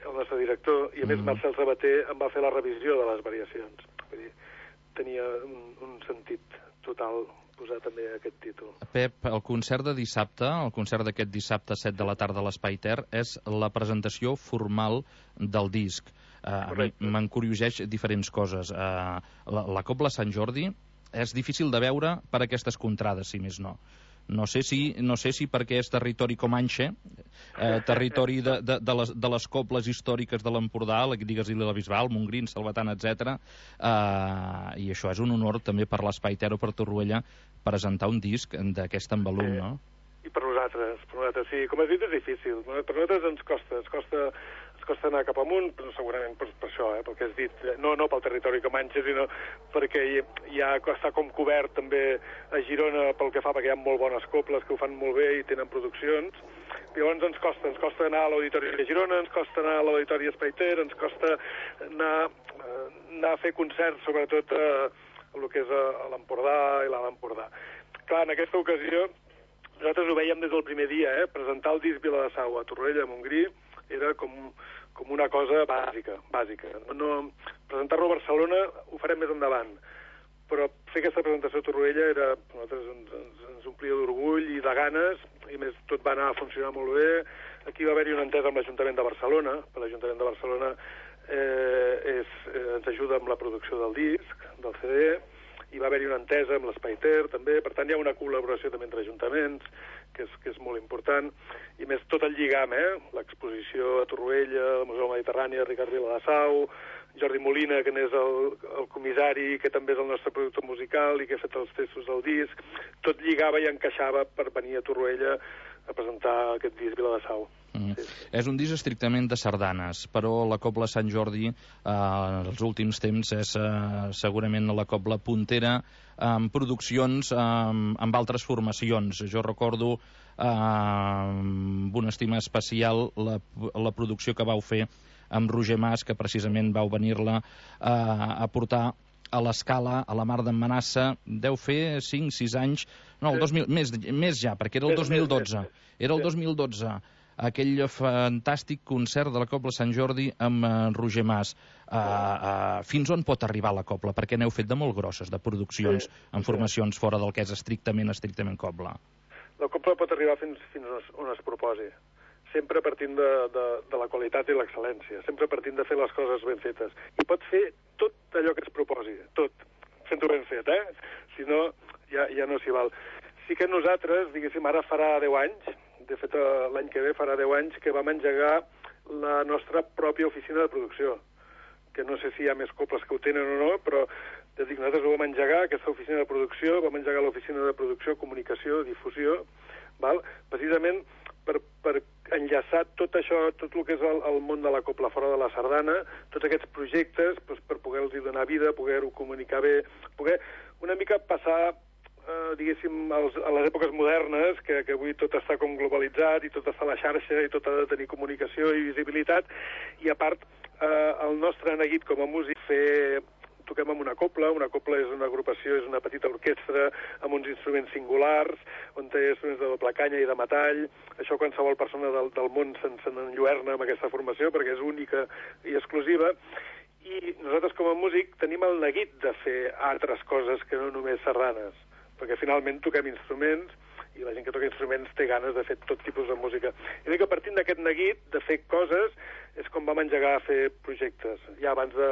el nostre director, i a més mm. Marcel Sabater em va fer la revisió de les variacions. Vull dir, tenia un, un sentit total posar també aquest títol. Pep, el concert de dissabte, el concert d'aquest dissabte set de la tarda a l'Espai Ter, és la presentació formal del disc. Uh, a mi m'encurioseix diferents coses. Uh, la, la Cobla Sant Jordi és difícil de veure per aquestes contrades, si més no. No sé si, no sé si perquè és territori comanxe, eh, territori de, de, de, les, de les cobles històriques de l'Empordà, digues-li la Bisbal, Montgrin, Salvatana, etcètera. Eh, I això és un honor també per l'Espai Ter o per Torroella presentar un disc d'aquest envolum, sí. no? I per nosaltres. nosaltres, per nosaltres, sí. Com has dit, és difícil. Per nosaltres ens costa, ens costa, ens costa anar cap amunt, però segurament per, per això, eh, pel que has dit. No, no pel territori que manxa, sinó perquè ja està com cobert també a Girona pel que fa, perquè hi ha molt bones coples que ho fan molt bé i tenen produccions. I llavors ens costa, ens costa anar a l'Auditori de Girona, ens costa anar a l'Auditori Espai Ter, ens costa anar, anar a fer concerts, sobretot a, a el que és a, a l'Empordà i l'Alt Empordà. Clar, en aquesta ocasió, nosaltres ho veiem des del primer dia, eh? Presentar el disc Viladasau a Torroella, a Montgrí, era com, com una cosa bàsica, bàsica. No, presentar-lo a Barcelona ho farem més endavant, però fer aquesta presentació a Torroella era, a nosaltres ens, ens, ens omplia d'orgull i de ganes, i més tot va anar a funcionar molt bé. Aquí va haver-hi una entesa amb l'Ajuntament de Barcelona, per l'Ajuntament de Barcelona eh, és, eh, ens ajuda amb la producció del disc, del C D, i va haver-hi una entesa amb l'Espai Ter, també. Per tant, hi ha una col·laboració també entre ajuntaments, que és, que és molt important. I més tot el lligam, eh? L'exposició a Torroella, al Museu Mediterrani, Ricard Viladasau, Jordi Molina, que n'és el, el comissari, que també és el nostre productor musical i que ha fet els textos del disc. Tot lligava i encaixava per venir a Torroella a presentar aquest disc Viladasau. Mm. Sí. És un disc estrictament de sardanes, però la Cobla Sant Jordi eh, els últims temps és eh, segurament la Cobla puntera amb produccions eh, amb altres formacions. Jo recordo eh, amb una estima especial la, la producció que vau fer amb Roger Mas, que precisament vau venir-la eh, a portar a l'Escala, a la Mar d'en Manassa. Deu fer cinc sis anys, no, el dos mil, més, més ja, perquè era el dos mil dotze. Era el dos mil dotze, aquell fantàstic concert de la Cobla Sant Jordi amb uh, Roger Mas. Uh, uh, fins on pot arribar la Cobla? Perquè n'heu fet de molt grosses, de produccions, sí, amb formacions sí. Fora del que és estrictament, estrictament Cobla. La Cobla pot arribar fins, fins on es proposi. Sempre partint de, de, de la qualitat i l'excel·lència, sempre partint de fer les coses ben fetes. I pot fer tot allò que es proposi, tot, fent-ho ben fet, eh? Si no, ja, ja no s'hi val. Sí que nosaltres, diguéssim, ara farà deu anys, de fet l'any que ve farà deu anys, que vam engegar la nostra pròpia oficina de producció, que no sé si hi ha més cobles que ho tenen o no, però ja dic, nosaltres ho vam engegar, aquesta oficina de producció, vam engegar l'oficina de producció, comunicació, difusió, val? Precisament per, per enllaçar tot això, tot el que és el, el món de la cobla fora de la sardana, tots aquests projectes, doncs, per poder-los donar vida, poder-ho comunicar bé, poder una mica passar, eh, diguéssim, als, a les èpoques modernes, que, que avui tot està com globalitzat i tot està a la xarxa i tot ha de tenir comunicació i visibilitat, i a part, eh, el nostre neguit com a músic fer... Toquem amb una cobla, una cobla és una agrupació, és una petita orquestra amb uns instruments singulars, on té instruments de doble canya i de metall. Això qualsevol persona del, del món se'n se enlluerna amb aquesta formació perquè és única i exclusiva. I nosaltres com a músic tenim el neguit de fer altres coses que no només sardanes, perquè finalment toquem instruments i la gent que toca instruments té ganes de fer tot tipus de música. I dic que partint d'aquest neguit de fer coses és com vam engegar a fer projectes. Ja abans de,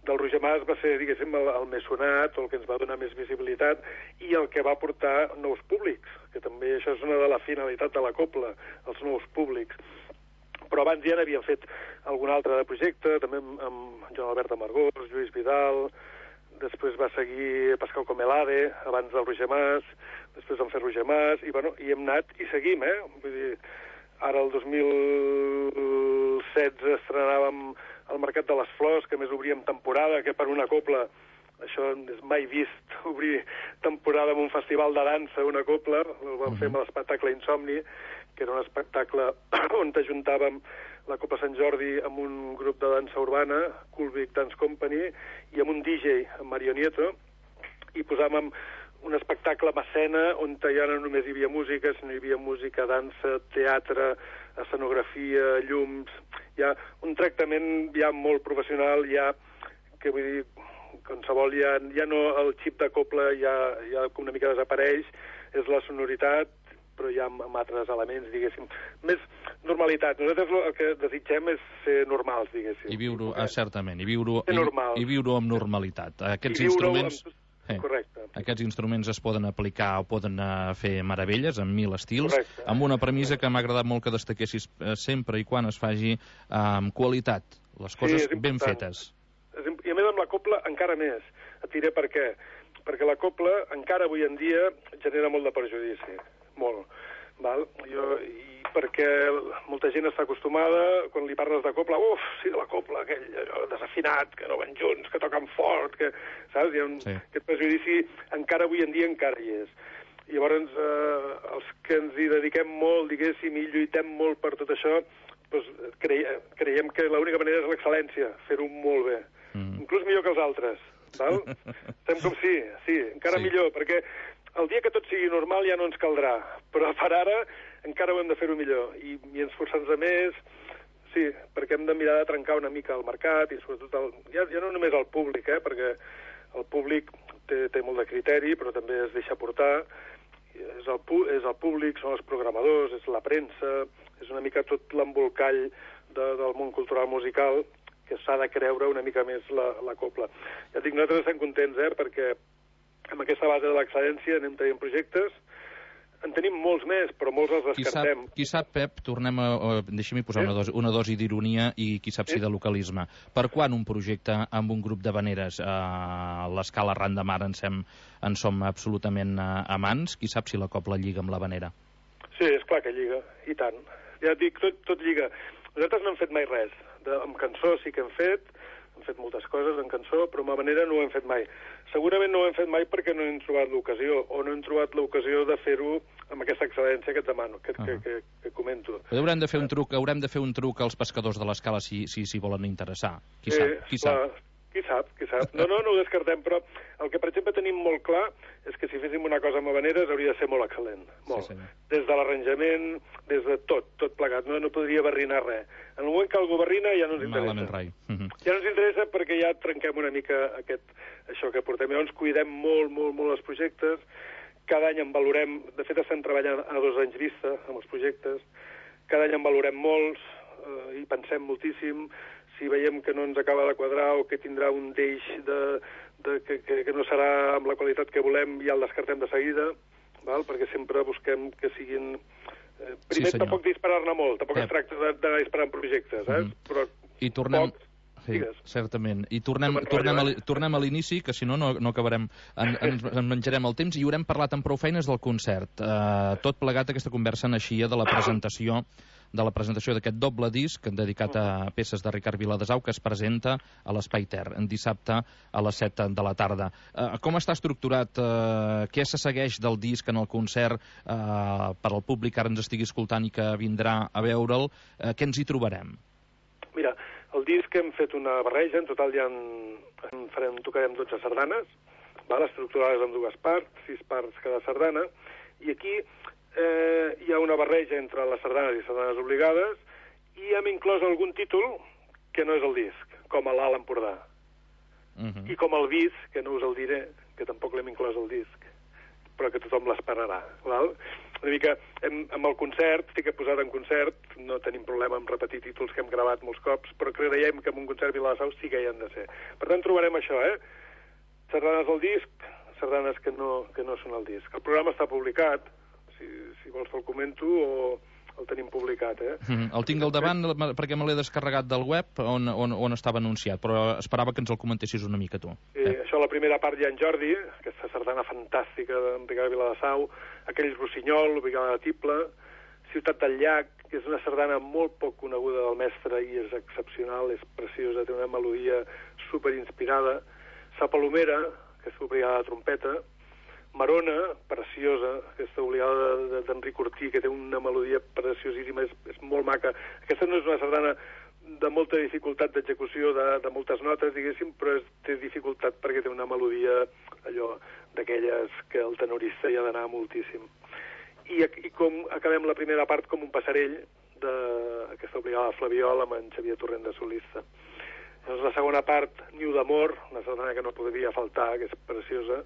del Roger Mas va ser, diguéssim, el, el més sonat, o el que ens va donar més visibilitat, i el que va portar nous públics, que també això és una de la finalitat de la cobla, els nous públics. Però abans ja n'havíem fet algun altre de projecte, també amb, amb Joan Albert Amargós, Lluís Vidal, després va seguir Pascal Comelade, abans del Roger Mas, després vam fer Roger Mas, i, bueno, i hem anat i seguim, eh? Vull dir, ara el dos mil setze estrenàvem el Mercat de les Flors, que més obríem temporada, que per una cobla, això és mai vist, obrir temporada en un festival de dansa, una cobla, el vam fer amb l'espectacle Insomni, que era un espectacle on ajuntàvem la Cobla Sant Jordi amb un grup de dansa urbana, Coolvic Dance Company, i amb un D J, amb Mario Nieto, i posàvem un espectacle amb escena on ja no només hi havia música, sinó hi havia música, dansa, teatre, escenografia, llums, hi ha un tractament ja molt professional, ja, que vull dir, qualsevol ja, ja no el xip de cobla ja, ja una mica desapareix, és la sonoritat, però ja amb, amb altres elements, diguéssim, més normalitat. Nosaltres el que desitgem és ser normals, diguéssim. I viure, eh, certament, i viure, i, i viure amb normalitat. Aquests instruments... Amb... Eh, Correcte. Aquests instruments es poden aplicar o poden uh, fer meravelles amb mil estils, Correcte. Amb una premissa que m'ha agradat molt que destaquessis uh, sempre i quan es faci uh, amb qualitat, les coses sí, ben fetes. I a més amb la cobla encara més. Et diré per què. Perquè la cobla encara avui en dia genera molt de perjudici. Molt. val? Jo, i perquè molta gent està acostumada, quan li parles de copla, uf, sí, de la copla, aquell allò desafinat, que no van junts, que toquen fort, que, saps? Hi ha un, sí. Aquest prejudici encara avui en dia encara hi és. I llavors, eh, els que ens hi dediquem molt, diguéssim, i lluitem molt per tot això, doncs creiem, creiem que l'única manera és l'excel·lència, fer-ho molt bé. Mm. Inclús millor que els altres, val? Estem com sí, sí, encara sí. millor, perquè el dia que tot sigui normal ja no ens caldrà, però per ara encara ho hem de fer-ho millor, i, i ens forçar-nos més, sí, perquè hem de mirar de trencar una mica el mercat, i sobretot, el, ja, ja no només el públic, eh, perquè el públic té, té molt de criteri, però també es deixa portar, és el, és el públic, són els programadors, és la premsa, és una mica tot l'embolcall de, del món cultural musical, que s'ha de creure una mica més la, la copla. Ja dic, nosaltres estem contents, eh, perquè amb aquesta base de l'excel·lència anem tenint projectes, en tenim molts més, però molts els descartem. Qui sap, qui sap Pep, tornem a... Deixa'm-hi posar sí? una, dosi, una dosi d'ironia i qui sap sí? si de localisme. Per quan un projecte amb un grup d'havaneres a l'escala ran de mar en, sem, en som absolutament amants? Qui sap si la copla lliga amb l'havanera? Sí, és clar que lliga, i tant. Ja et dic, tot, tot lliga. Nosaltres no hem fet mai res. De, amb cançó sí que hem fet, hem fet moltes coses en cançó, però amb havanera no ho hem fet mai. Segurament no ho hem fet mai perquè no hem trobat l'ocasió, o no hem trobat l'ocasió de fer-ho amb aquesta excel·lència que et demano, que, uh -huh. que, que, que comento. Però haurem de fer un truc, haurem de fer un truc als pescadors de l'escala si, si, si volen interessar. Qui sí, sap? Qui clar, sap? Qui sap, qui sap. No, no, no ho descartem, però el que, per exemple, tenim molt clar és que si féssim una cosa amb habaneres hauria de ser molt excel·lent. Molt. Sí, sí. Des de l'arranjament, des de tot, tot plegat. No, no podria barrinar res. En el moment que algú barrina ja no ens interessa. Malament rai. Uh -huh. Ja no ens interessa perquè ja trenquem una mica aquest, això que portem. Llavors cuidem molt, molt, molt els projectes. Cada any en valorem... De fet, estem treballant a dos anys vista amb els projectes. Cada any en valorem molts eh, i pensem moltíssim. Si veiem que no ens acaba de quadrar o que tindrà un deix de, de, que, que, que no serà amb la qualitat que volem, ja el descartem de seguida, val? Perquè sempre busquem que siguin... Eh, primer, sí, tampoc disparar-ne molt, tampoc eh. es tracta de, de disparar en projectes, eh? Mm -hmm. Però I tornem... poc, sí, certament. I tornem, tornem, a, tornem a l'inici, que si no, no, no acabarem... En, ens en menjarem el temps i haurem parlat amb prou feines del concert. Eh, tot plegat, aquesta conversa naixia de la presentació de la presentació d'aquest doble disc dedicat a peces de Ricard Viladesau que es presenta a l'Espai Ter en dissabte a les set de la tarda. Eh, com està estructurat? Eh, què se segueix del disc en el concert eh, per al públic que ara ens estigui escoltant i que vindrà a veure'l? Eh, què ens hi trobarem? Mira, el disc hem fet una barreja, en total ja en, en farem, tocarem dotze sardanes, val? Estructurades en dues parts, sis parts cada sardana, i aquí eh, hi ha una barreja entre les sardanes i sardanes obligades, i hem inclòs algun títol que no és el disc, com a l'Alt Empordà. Uh -huh. I com el Bis, que no us el diré, que tampoc l'hem inclòs al disc, però que tothom l'esperarà, val? Una mica, hem, amb el concert, sí que he posat en concert, no tenim problema en repetir títols que hem gravat molts cops, però creiem que en un concert Viladesau sí que hi han de ser. Per tant, trobarem això, eh? Sardanes al disc, sardanes que no, que no són al disc. El programa està publicat, si, si vols te'l comento, o el tenim publicat, eh? Mm, el tinc al davant perquè me l'he descarregat del web on, on, on estava anunciat, però esperava que ens el comentessis una mica tu. Sí, eh? Això, la primera part hi ha en Jordi, aquesta sardana fantàstica d'en Ricard Viladesau, aquell Rossinyol, Brigada de Tible, Ciutat del Llac, que és una sardana molt poc coneguda del mestre i és excepcional, és preciosa, té una melodia superinspirada, Sa Palomera, que és l'obligada de trompeta, Marona, preciosa, aquesta obligada d'Enric Ortí, que té una melodia preciosíssima, és, és molt maca. Aquesta no és una sardana de molta dificultat d'execució, de, de moltes notes, diguéssim, però és, té dificultat perquè té una melodia, allò, d'aquelles que el tenorista hi ha d'anar moltíssim. I, I com acabem la primera part com un passarell d'aquesta obligada de Flabiol amb en Xavier Torrent de solista. Llavors, la segona part, Niu d'Amor, una sardana que no podria faltar, que és preciosa.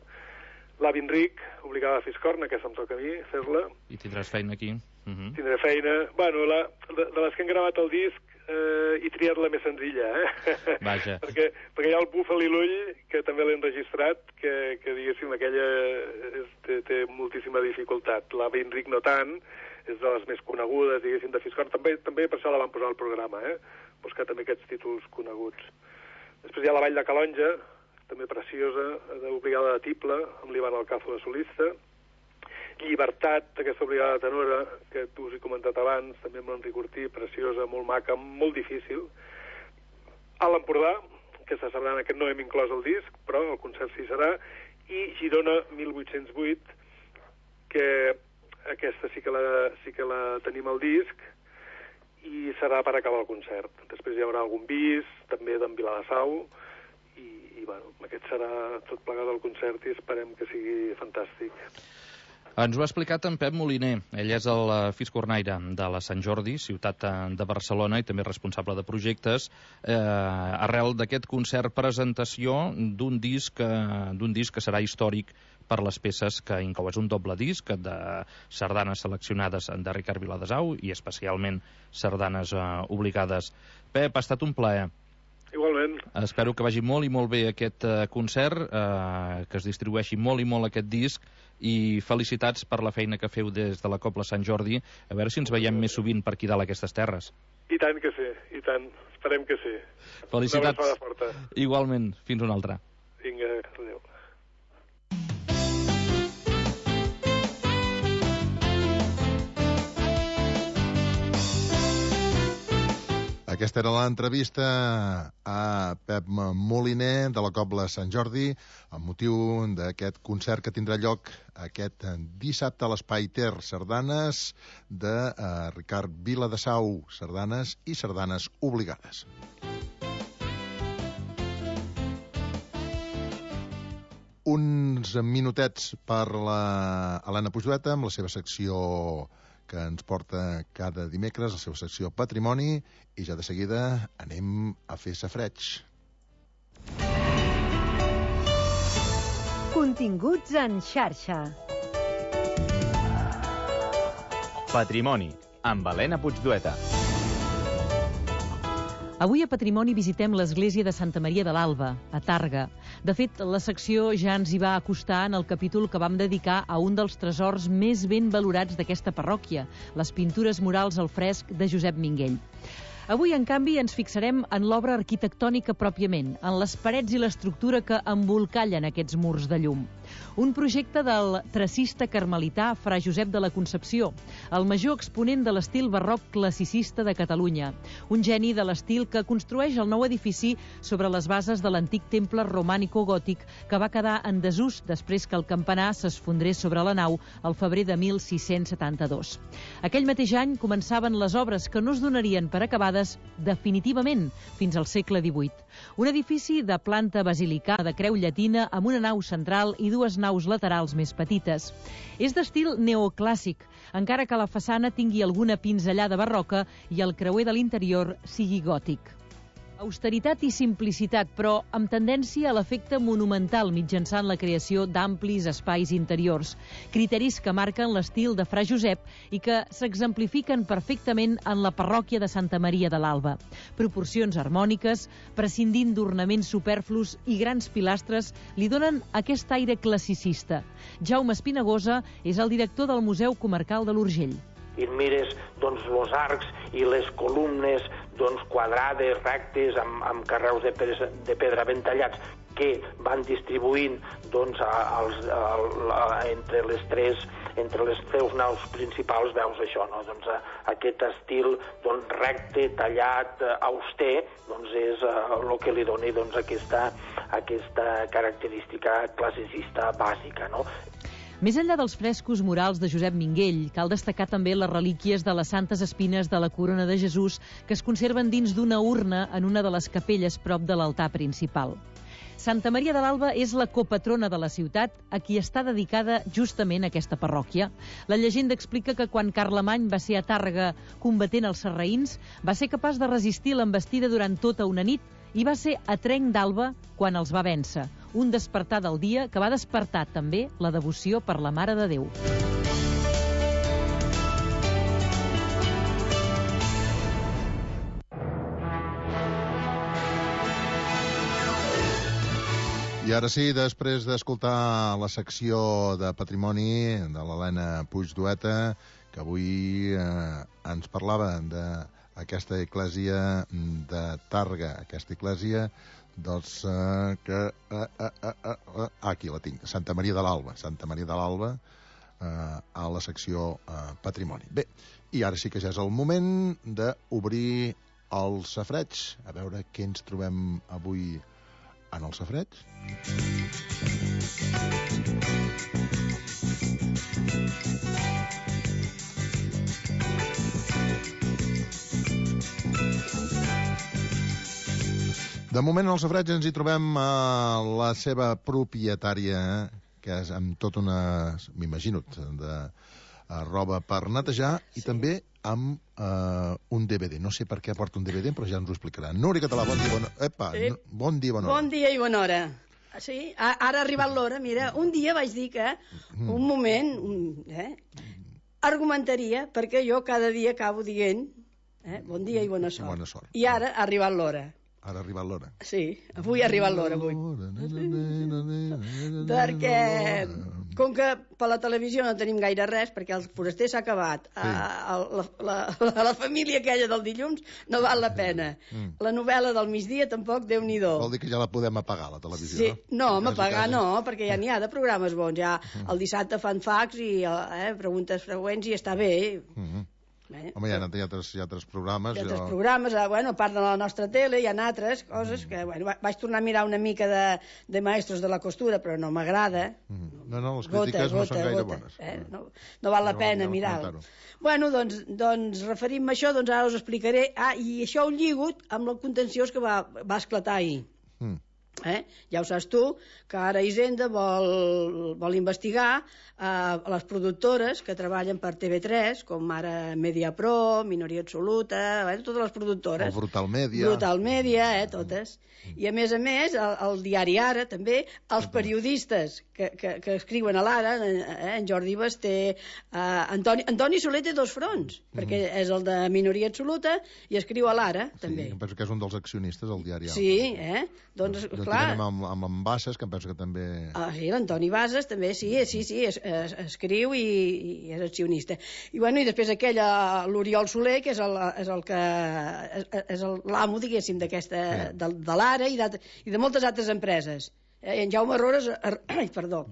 L'Avi Enric, obligada a Fiscorna, que em toca a mi fer-la. I tindràs feina aquí. Uh -huh. Tindré feina. Bueno, la, de, de les que han gravat el disc, eh, he triat la més senzilla, eh? Vaja. perquè, perquè hi ha el Búfal i l'Ull, que també l'he enregistrat, que, que diguéssim, aquella és, té, té moltíssima dificultat. L'Avi Enric no tant, és de les més conegudes, diguéssim, de Fiscorna. També, també per això la van posar al programa, eh? Buscar també aquests títols coneguts. Després hi ha la Vall de Calonja, també preciosa, d'obligada de Tible, amb l'Ivan Alcazo de solista. Llibertat, aquesta obligada tenora, que tu us he comentat abans, també amb l'Enric Ortí, preciosa, molt maca, molt difícil. A l'Empordà, aquesta sardana que no hem inclòs el disc, però el concert sí serà, i Girona mil vuit-cents vuit, que aquesta sí que la, sí que la tenim al disc, i serà per acabar el concert. Després hi haurà algun bis, també d'en Viladasau, i, i bueno, aquest serà tot plegat al concert i esperem que sigui fantàstic. Ens ho ha explicat en Pep Moliner. Ell és el fiscornaire de la Sant Jordi, ciutat de Barcelona, i també responsable de projectes, eh, arrel d'aquest concert presentació d'un disc, eh, d'un disc que serà històric per les peces que inclou. És un doble disc de sardanes seleccionades de Ricard Viladasau i especialment sardanes eh, obligades. Pep, ha estat un plaer. Igualment. Espero que vagi molt i molt bé aquest eh, concert, eh, que es distribueixi molt i molt aquest disc, i felicitats per la feina que feu des de la Cobla Sant Jordi. A veure si ens veiem més sovint per aquí dalt aquestes terres. I tant que sí, i tant. Esperem que sí. Felicitats. Una abraçada forta. Igualment. Fins una altra. Vinga, adéu. Aquesta era l'entrevista a Pep Moliner de la Cobla Sant Jordi amb motiu d'aquest concert que tindrà lloc aquest dissabte a l'Espai Ter, sardanes de uh, Ricard Viladasau, sardanes i sardanes obligades. Uns minutets per la Helena Puigdueta amb la seva secció que ens porta cada dimecres, la seva secció Patrimoni, i ja de seguida anem a fer safareig. Continguts en xarxa. Patrimoni, amb Helena Puigdueta. Avui a Patrimoni visitem l'església de Santa Maria de l'Alba, a Tàrrega. De fet, la secció ja ens hi va acostar en el capítol que vam dedicar a un dels tresors més ben valorats d'aquesta parròquia, les pintures murals al fresc de Josep Minguell. Avui, en canvi, ens fixarem en l'obra arquitectònica pròpiament, en les parets i l'estructura que embolcallen aquests murs de llum. Un projecte del tracista carmelità Fra Josep de la Concepció, el major exponent de l'estil barroc classicista de Catalunya, un geni de l'estil que construeix el nou edifici sobre les bases de l'antic temple romànico-gòtic que va quedar en desús després que el campanar s'esfondrés sobre la nau al febrer de mil sis-cents setanta-dos. Aquell mateix any començaven les obres que no es donarien per acabades definitivament fins al segle divuit. Un edifici de planta basilicà de creu llatina amb una nau central i dues naus laterals més petites. És d'estil neoclàssic, encara que la façana tingui alguna pinzellada barroca i el creuer de l'interior sigui gòtic. Austeritat i simplicitat, però amb tendència a l'efecte monumental mitjançant la creació d'amplis espais interiors, criteris que marquen l'estil de Fra Josep i que s'exemplifiquen perfectament en la parròquia de Santa Maria de l'Alba. Proporcions harmòniques, prescindint d'ornaments superflus i grans pilastres, li donen aquest aire classicista. Jaume Espinagosa és el director del Museu Comarcal de l'Urgell. I mires doncs, els arcs i les columnes doncs, quadrades, rectes, amb, amb carreus de pedra, de pedra ben tallats, que van distribuint doncs, a, als, a, a, entre les tres entre les tres naus principals, veus això, no? Doncs, a, aquest estil doncs, recte, tallat, auster, doncs és el uh, que li doni doncs, aquesta, aquesta característica classicista bàsica, no? Més enllà dels frescos murals de Josep Minguell, cal destacar també les relíquies de les Santes Espines de la Corona de Jesús que es conserven dins d'una urna en una de les capelles prop de l'altar principal. Santa Maria de l'Alba és la copatrona de la ciutat, a qui està dedicada justament aquesta parròquia. La llegenda explica que quan Carlemany va ser a Tàrrega combatent els sarraïns, va ser capaç de resistir l'envestida durant tota una nit i va ser a Trenc d'Alba quan els va vèncer. Un despertar del dia que va despertar també la devoció per la Mare de Déu. I ara sí, després d'escoltar la secció de Patrimoni de l'Helena Puigdueta, que avui eh, ens parlava d'aquesta església de Tàrrega, aquesta església dels uh, que... Uh, uh, uh, uh, uh, aquí la tinc, Santa Maria de l'Alba. Santa Maria de l'Alba, a la secció eh, Patrimoni. Bé, i ara sí que ja és el moment d'obrir el safareig, a veure què ens trobem avui en el safareig. De moment al safareig ens hi trobem a la seva propietària, que és amb tot una, m'imagino, de uh, roba per netejar, i sí. també amb uh, un D V D. No sé per què porta un D V D, però ja ens ho explicarà. Núria Català, bon dia, bona... Epa, sí. no, bon dia, bona hora. Bon dia i bona hora. Sí, ara ha arribat l'hora. Mira, un dia vaig dir que, un moment, un, eh, argumentaria, perquè jo cada dia acabo dient eh, bon dia i bona sort. Bona sort. I ara ha arribat l'hora. Ara ha arribat l'hora. Sí, avui ha arribat l'hora, avui. Perquè, com que per la televisió no tenim gaire res, perquè el foraster s'ha acabat, sí. a, la, la, la, la família aquella del dilluns no val la pena. Mm. La novel·la del migdia tampoc, Déu-n'hi-do. Vol dir que ja la podem apagar, la televisió, sí. no? No, apagar no, perquè ja n'hi ha de programes bons. Ja el dissabte fan fax i eh, preguntes freqüents i està bé. Mm-hmm. Eh? Home, hi ha, hi ha, altres, hi ha altres programes. Hi ha altres jo... programes, bueno, a part de la nostra tele, hi ha altres coses que, bueno, vaig tornar a mirar una mica de, de Maestros de la Costura, però no m'agrada. Mm. No, no, les crítiques gota, no són gaire gota, bones. Eh? No, no val la no, pena mirar-ho. Bueno, doncs, doncs referim-me a això, doncs ara us explicaré. Ah, i això ho lligo amb el contenciós que va, va esclatar ahir. Mm. Eh? Ja ho saps tu, que ara Hisenda vol, vol investigar eh, les productores que treballen per T V tres, com ara Mediapro, Minoria Absoluta, eh, totes les productores. El Brutal Media. Brutal Media, eh, totes. I a més a més, el, el diari Ara, també, els periodistes que, que, que escriuen a l'Ara, eh, en Jordi Basté, eh, Antoni, Antoni Soler té dos fronts, mm. perquè és el de Minoria Absoluta i escriu a l'Ara, sí, també. Em penso que és un dels accionistes del diari Ara. Sí, eh? Doncs, jo clar... amb, amb en Bassas, que em penso que també... Ah, sí, l'Antoni Bassas també, sí, sí, sí, es, es, escriu i, i és accionista. I, bueno, i després aquell, l'Oriol Soler, que és el, és el que... és l'amo, diguéssim, d'aquesta... Sí. de, de l'Ara i, i de moltes altres empreses. Eh, en Jaume Rores... Ai, perdó.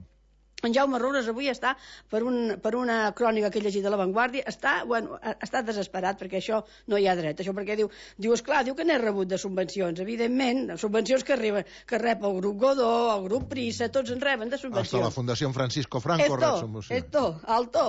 En Jaume Rores avui està, per, un, per una crònica que he llegit de La Vanguardia, està, bueno, està desesperat perquè això no hi ha dret. Això perquè diu, diu esclar, diu que n'he rebut de subvencions. Evidentment, subvencions que, arriben, que rep el grup Godó, el grup Prisa, tots en reben de subvencions. Hasta la Fundació Francisco Franco esto, rep subvencions. Esto, alto.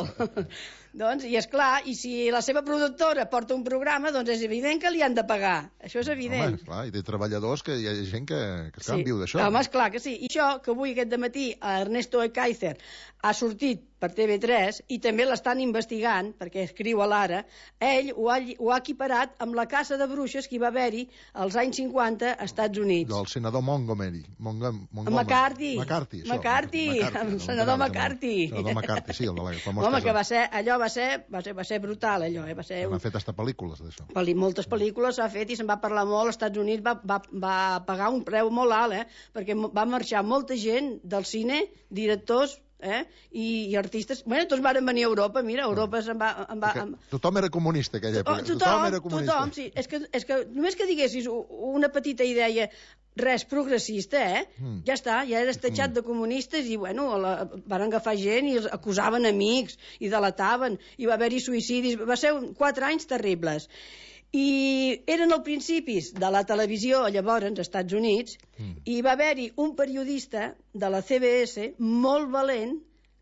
Doncs, i és clar, i si la seva productora porta un programa, doncs és evident que li han de pagar. Això és evident. Home, esclar, i té treballadors, que hi ha gent que, que sí. viu d'això. Home, esclar que sí. I això, que avui aquest dematí Ernesto Ekaizer ha sortit per T V tres i també l'estan investigant, perquè escriu a l'Ara, ell ho ha, ho ha equiparat amb la caça de bruixes que hi va haver-hi als anys cinquanta als Estats Units. Del senador Montgomery. Montgomery. McCarthy. McCarthy, això. McCarthy, el senador McCarthy. El senador McCarthy, sí, el de la famosa... Home, que va ser, allò va ser, va ser, va ser brutal, allò. Eh? Va ser un... Han fet hasta pel·lícules d'això. Moltes pel·lícules s'ha fet i se'n va parlar molt. Als Estats Units va, va, va pagar un preu molt alt, eh? Perquè va marxar molta gent del cine, directors, Eh? I, i artistes, bueno, tots van venir a Europa, mira, Europa se'n va... Em va em... Tothom era comunista aquella època, tothom, tothom era comunista. Tothom, sí, és que, és que només que diguessis una petita idea, res progressista, eh? Mm. Ja està, ja eres tatxat mm. de comunistes i, bueno, la, van agafar gent i els acusaven amics i delataven, i va haver-hi suïcidis, va ser un, quatre anys terribles. I eren els principis de la televisió llavors als Estats Units mm. i va haver-hi un periodista de la C B S molt valent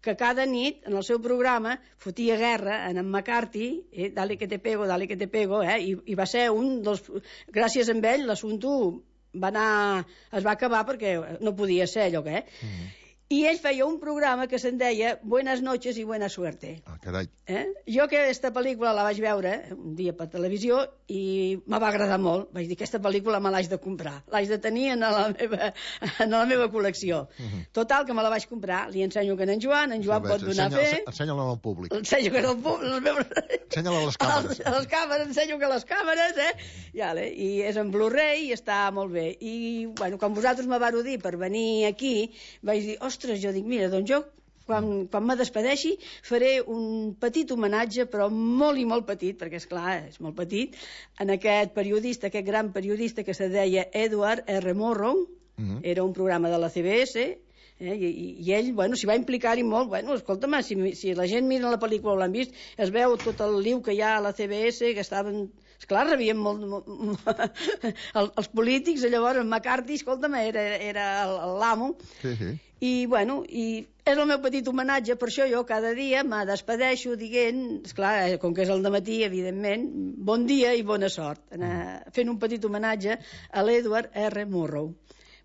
que cada nit en el seu programa fotia guerra en en McCarthy, eh, dale que te pego, dale que te pego, eh, i, i va ser un dels... Gràcies a ell l'assumpte va anar... es va acabar perquè no podia ser allò que... Eh? Mm. I ell feia un programa que se'n deia Buenas noches y buena suerte. Ah, carai. Eh? Jo aquesta pel·lícula la vaig veure un dia per televisió i me va agradar molt. Vaig dir, aquesta pel·lícula me l'haig de comprar. L'haig de tenir en la meva, en la meva col·lecció. Uh -huh. Total, que me la vaig comprar. Li ensenyo que en Joan, en Joan pot donar fe. Ensenya-la al públic. Ensenyo que al públic. Ensenya-la a les càmeres. A les càmeres, ensenyo que a les càmeres, eh? I, ale, i és en Blu-ray i està molt bé. I, bueno, quan vosaltres me vau dir per venir aquí, vaig dir, ostres, jo dic, mira, doncs jo quan, quan me despedeixi faré un petit homenatge, però molt i molt petit, perquè és clar, és molt petit, en aquest periodista, aquest gran periodista que se deia Edward R. Morrow. Uh-huh. Era un programa de la C B S, Eh? I, I ell, bueno, s'hi va implicar-hi molt. Bueno, escolta'm, si, si la gent mira la pel·lícula o l'han vist, es veu tot el liu que hi ha a la C B S, que estaven... Esclar, rebien molt... molt el, els polítics, llavors, en McCarthy, escolta'm, era, era l'amo. Sí, sí. I, bueno, i és el meu petit homenatge, per això jo cada dia me despedeixo dient, esclar, com que és el dematí, evidentment, bon dia i bona sort, anar fent un petit homenatge a l'Edward R. Murrow,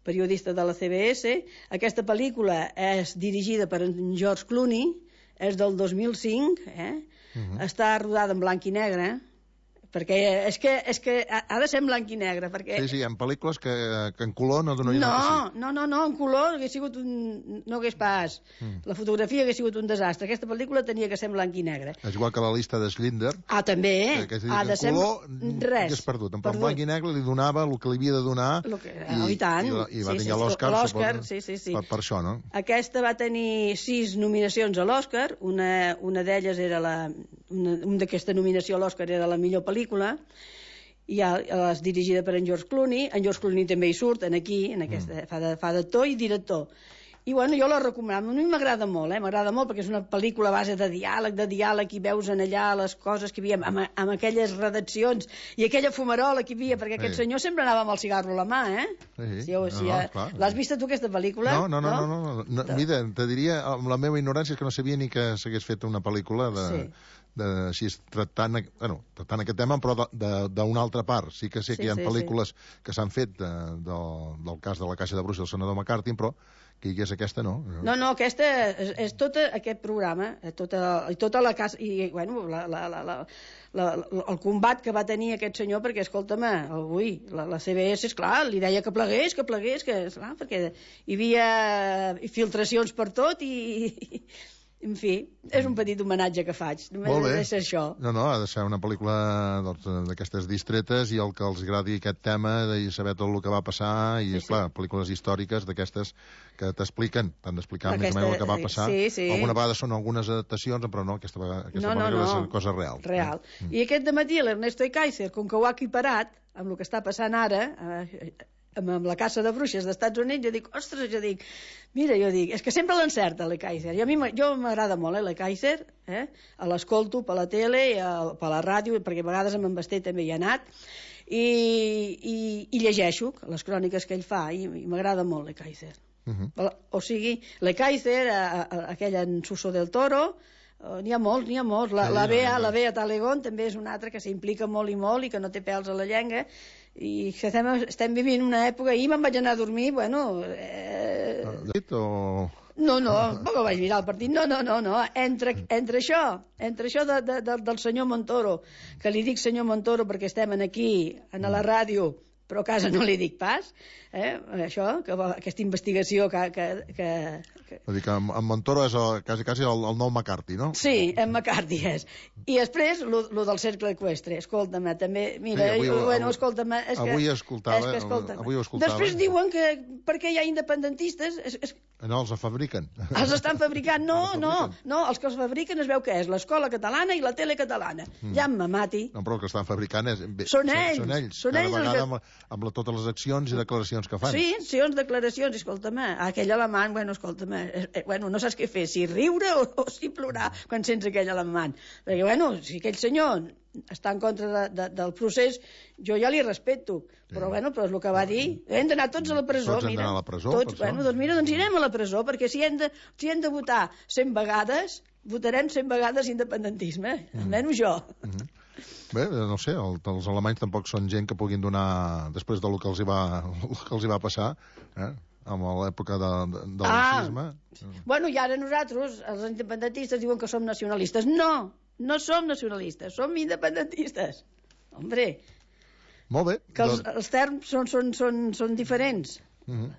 periodista de la C B S. Aquesta pel·lícula és dirigida per en George Clooney, és del dos mil cinc, eh? Uh-huh. Està rodada en blanc i negre, perquè és que, és que ha de ser en blanc i negre, perquè... Sí, sí, hi ha pel·lícules que, que en color no donaria no, que sí. No, no, no, en color hagués sigut un... no hagués pas. Mm. La fotografia hagués sigut un desastre. Aquesta pel·lícula tenia que ser en blanc i negre. És igual que la llista de Schindler. Ah, també, eh? Que, que ha de ser... color, res. Hagués perdut. En perdut. Blanc i negre li donava el que li havia de donar. Que... I, oh, i tant. I, i va sí, tenir sí, l'Òscar. L'Òscar, sí, sí, sí. Per, per això, no? Aquesta va tenir sis nominacions a l'Òscar. Una, una d'elles era la... Una, una d'aquesta nominació a l'Òscar era la millor pel·lícula. I és dirigida per en George Clooney. En George Clooney també hi surt, en aquí, en aquesta, mm. fa d'actor i director. I bueno, jo la recomano. A mi m'agrada molt, eh? M'agrada molt perquè és una pel·lícula a base de diàleg, de diàleg, i veus en allà les coses que hi havia, amb, amb aquelles redaccions i aquella fumarola que hi havia, perquè aquest sí. senyor sempre anava amb el cigarro a la mà, eh? Sí, sí. Si, si, no, no, l'has vista tu, aquesta pel·lícula? No, no, no, no, no, no, no. Mira, te diria, amb la meva ignorància, és que no sabia ni que s'hagués fet una pel·lícula de... Sí. De, així, tractant, bueno, tractant aquest tema, però d'una altra part. Sí que sé que sí, hi ha sí, pel·lícules sí. que s'han fet de, de, del cas de la Caixa de Bruixes del senador McCarthy, però que hi hagués aquesta, no. No, no, aquesta és, és tot aquest programa, tota, tota la casa, i, bueno, la, la, la, la, la, el combat que va tenir aquest senyor, perquè, escolta'm, avui, la, la C B S, esclar, li deia que plegués, que plegués, que, esclar, perquè hi havia filtracions per tot i... i en fi, és un petit homenatge que faig. Només Molt bé. Ha de ser això. No, no, ha de ser una pel·lícula d'aquestes doncs, distretes i el que els agradi aquest tema de saber tot el que va passar i, sí, esclar, sí. pel·lícules històriques d'aquestes que t'expliquen, t'han d'explicar més o menys el que va passar. Sí, sí. Alguna vegada són algunes adaptacions, però no, aquesta, aquesta no, no, pel·lícula no. és una cosa real. Real. Mm. I aquest dematí l'Ernesto Ekaizer, com que ho ha equiparat amb el que està passant ara... Eh, amb la Caça de Bruixes d'Estats Units, jo dic, ostres, jo dic, mira, jo dic, és que sempre l'encerta l'Ekaizer, i a mi jo m'agrada molt, eh, l'Ekaizer, eh? L'escolto per la tele, per la ràdio, perquè a vegades amb en Basté també hi ha anat, i, i, i llegeixo les cròniques que ell fa, i, i m'agrada molt l'Ekaizer. Uh-huh. O sigui, l'Ekaizer, aquell en Suso del Toro, Uh, n'hi ha molts, n'hi ha molts. La, la Bea, la Bea Talegón també és una altra que s'implica molt i molt i que no té pèls a la llengua i que estem, estem vivint una època. Ahir me'n vaig anar a dormir, bueno... Eh... O... No, no, poc vaig mirar el partit. No, no, no, no. Entre, entre això, entre això de, de, de, del senyor Montoro, que li dic senyor Montoro perquè estem aquí, a la ràdio, però a casa no li dic pas, eh? Això, que, aquesta investigació que... que, que, que... Vull dir que en Montoro és el, quasi, quasi el, el nou McCarthy, no? Sí, en McCarthy és. I després, lo, lo del cercle eqüestre, escolta'm, també, mira, sí, avui, bueno, escolta'm... És que, avui escoltava, és que, escolta'm, avui ho escoltava. Després diuen que perquè hi ha independentistes... És, és... No, els fabriquen. Els estan fabricant, no, els no, no, els que els fabriquen es veu que és l'escola catalana i la tele catalana. Mm. Ja me mati. No, però el que estan fabricant és... Bé, són ells. Són ells, són cada ells vegada que... amb, amb la, totes les accions i declaracions que fan. Sí, accions, declaracions, escolta'm, aquell alemany, bueno, escolta'm, eh, bueno, no saps què fer, si riure o, o si plorar quan sents aquell alemany. Perquè, bueno, si aquell senyor està en contra de, de, del procés, jo ja li respecto, sí. Però, bueno, però és el que va dir, hem d'anar tots a la presó, tots mira. Tots hem d'anar a la presó, tots, bueno, doncs mira, doncs irem a la presó, perquè si hem de, si hem de votar cent vegades, votarem cent vegades independentisme, mm. almenys jo. Mm -hmm. Bé, no sé, el, els alemanys tampoc són gent que puguin donar, després del que els hi va, que els hi va passar, eh? Amb l'època de, de, del ah, nazisme. Bueno, i ara nosaltres, els independentistes, diuen que som nacionalistes. No, no som nacionalistes, som independentistes. Hombre, molt bé. Que els, doncs... els terms són, són, són, són diferents. Uh -huh.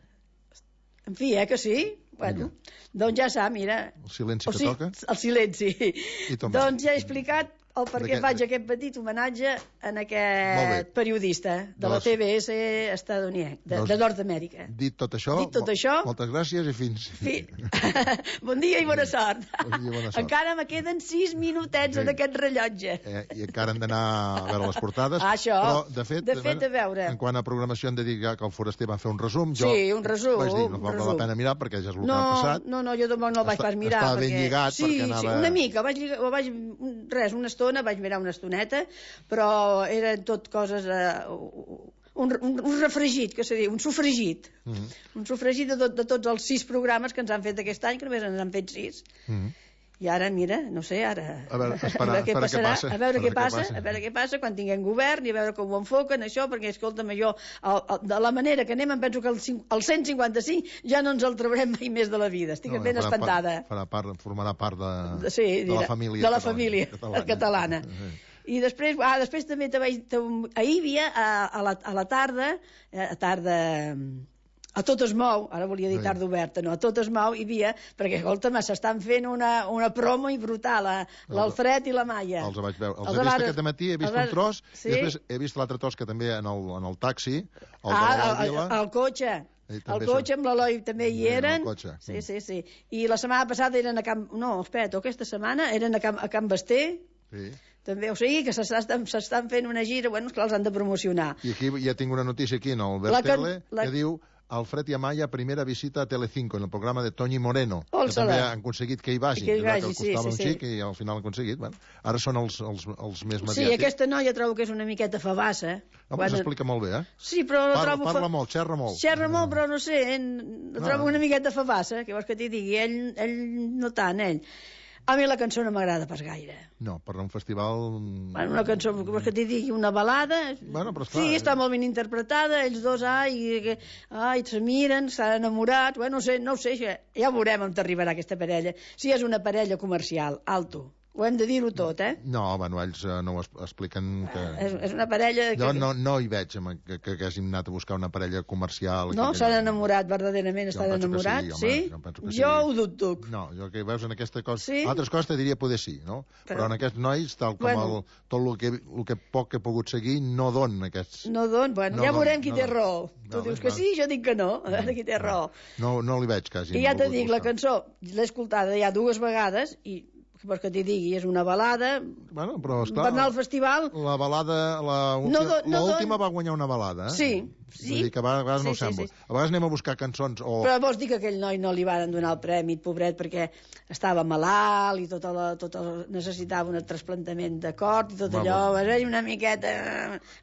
En fi, eh, que sí? Bueno, uh-huh. Doncs ja sap, mira... El silenci o que sigui, toca? El silenci. Doncs ja he explicat el per què faig aquest petit homenatge en aquest periodista de la C B S estadounidenca, de, de Nord-Amèrica. Dit tot això, Dit tot això, moltes gràcies i fins... Fi... bon dia i bona sort. Bon dia i bona sort. Encara me queden sis minutets sí. en aquest rellotge. Eh, I encara hem d'anar a veure les portades. Ah, això, però, de fet, de fet a veure. En quant a programació hem de dir que el Foraster va fer un resum. Jo sí, un resum. Vaig dir, no val la pena mirar perquè ja és el no, que ha passat. No, no, jo tampoc no el vaig pas mirar. Estava ben perquè... lligat sí, perquè anava... Sí, una mica. Vaig, lligar, vaig, res, una estona, vaig mirar una estoneta, però eren tot coses... Uh, un, un, un refregit, que se diu, un sofregit. Mm -hmm. Un sofregit de, tot, de tots els sis programes que ens han fet aquest any, que només ens han fet sis. Mm -hmm. I ara, mira, no sé, ara... A veure, esperar, a veure què passarà, què passa, a veure què passa, a veure què passa quan tinguem govern i a veure com ho enfoquen, això, perquè, escolta'm, jo, el, el, de la manera que anem, em penso que el, el cent cinquanta-cinc ja no ens el traurem mai més de la vida. Estic no, ben farà espantada. Part, farà part, formarà part de, de, sí, de la família de la família catalana. catalana. Sí. I després, ah, després també te vaig, te, ahir hi havia a, a, la, a la tarda, a tarda... A tot es mou, ara volia dir tarda oberta, no, a tot es mou hi havia, perquè, escolta'm, s'estan fent una, una promo i brutal, l'Alfred i la Maia. Els vaig veure, els, els he vist aquest matí, he vist un tros, sí? I després he vist l'altre tros que també en el, en el taxi, el ah, de la Vila. El, el cotxe. El cotxe amb l'Eloi també hi eren. Sí, sí, sí. I la setmana passada eren a Camp... No, espera, aquesta setmana eren a Camp, a Camp Basté. Sí. També, o sigui, que s'estan fent una gira, bueno, esclar, els han de promocionar. I aquí ja tinc una notícia aquí en el Bertele, la... que diu... Alfred i Amaya, primera visita a Telecinco, en el programa de Toñi Moreno, Olsala. Que també han aconseguit que hi vagi, que, hi vagi, que sí, costava sí, un xic sí. I al final han aconseguit. Bueno, ara són els, els, els més mediàtics. Sí, aquesta noia trobo que és una miqueta fabassa. Home, quan... s'explica molt bé, eh? Sí, però la parla, trobo... Parla molt, xerra molt. Xerra molt, però no sé, eh? la trobo no. una miqueta fabassa, que vols que t'hi digui, ell, ell no tant, ell. A mi la cançó no m'agrada pas gaire. No, per un festival... Bueno, una cançó, vols que t'hi digui, una balada... Bueno, però esclar... Sí, està molt ben interpretada, ells dos, ai, ai, se miren, s'han enamorat... Bueno, no sé, no ho sé, ja veurem on t'arribarà aquesta parella. Si és una parella comercial, alto. Ho hem de dir-ho tot, eh? No, bueno, ells uh, no ho expliquen que... És, és una parella... Que... Jo no, no hi veig que, que, que hàgim anat a buscar una parella comercial... No? S'han enamorat, verdaderament estan enamorats? Sí? Jo, jo, sí. jo ho dubto. No, jo que veus en aquesta cosa... Sí? Altres coses te diria poder sí, no? Però, Però en aquests nois, tal com bueno. el, tot el que, el que poc que he pogut seguir, no don aquests... No don? Bueno, no ja don, veurem qui no té raó. Tu no, dius que sí, jo dic que no. A veure qui té raó. No, no li veig quasi. I ja te dic, la cançó l'he escoltada ja dues vegades i que vols que t'hi digui, és una balada. Bueno, però està... Per anar al festival... La balada... L'última no no no va guanyar una balada, eh? Sí, sí. Vull dir que a vegades sí, no ho sembla. Sí, sí. A vegades anem a buscar cançons o... Però vols dir que aquell noi no li van donar el premi, pobret, perquè estava malalt i tota la, tota la, necessitava un trasplantament de cor i tot allò, va ser una miqueta...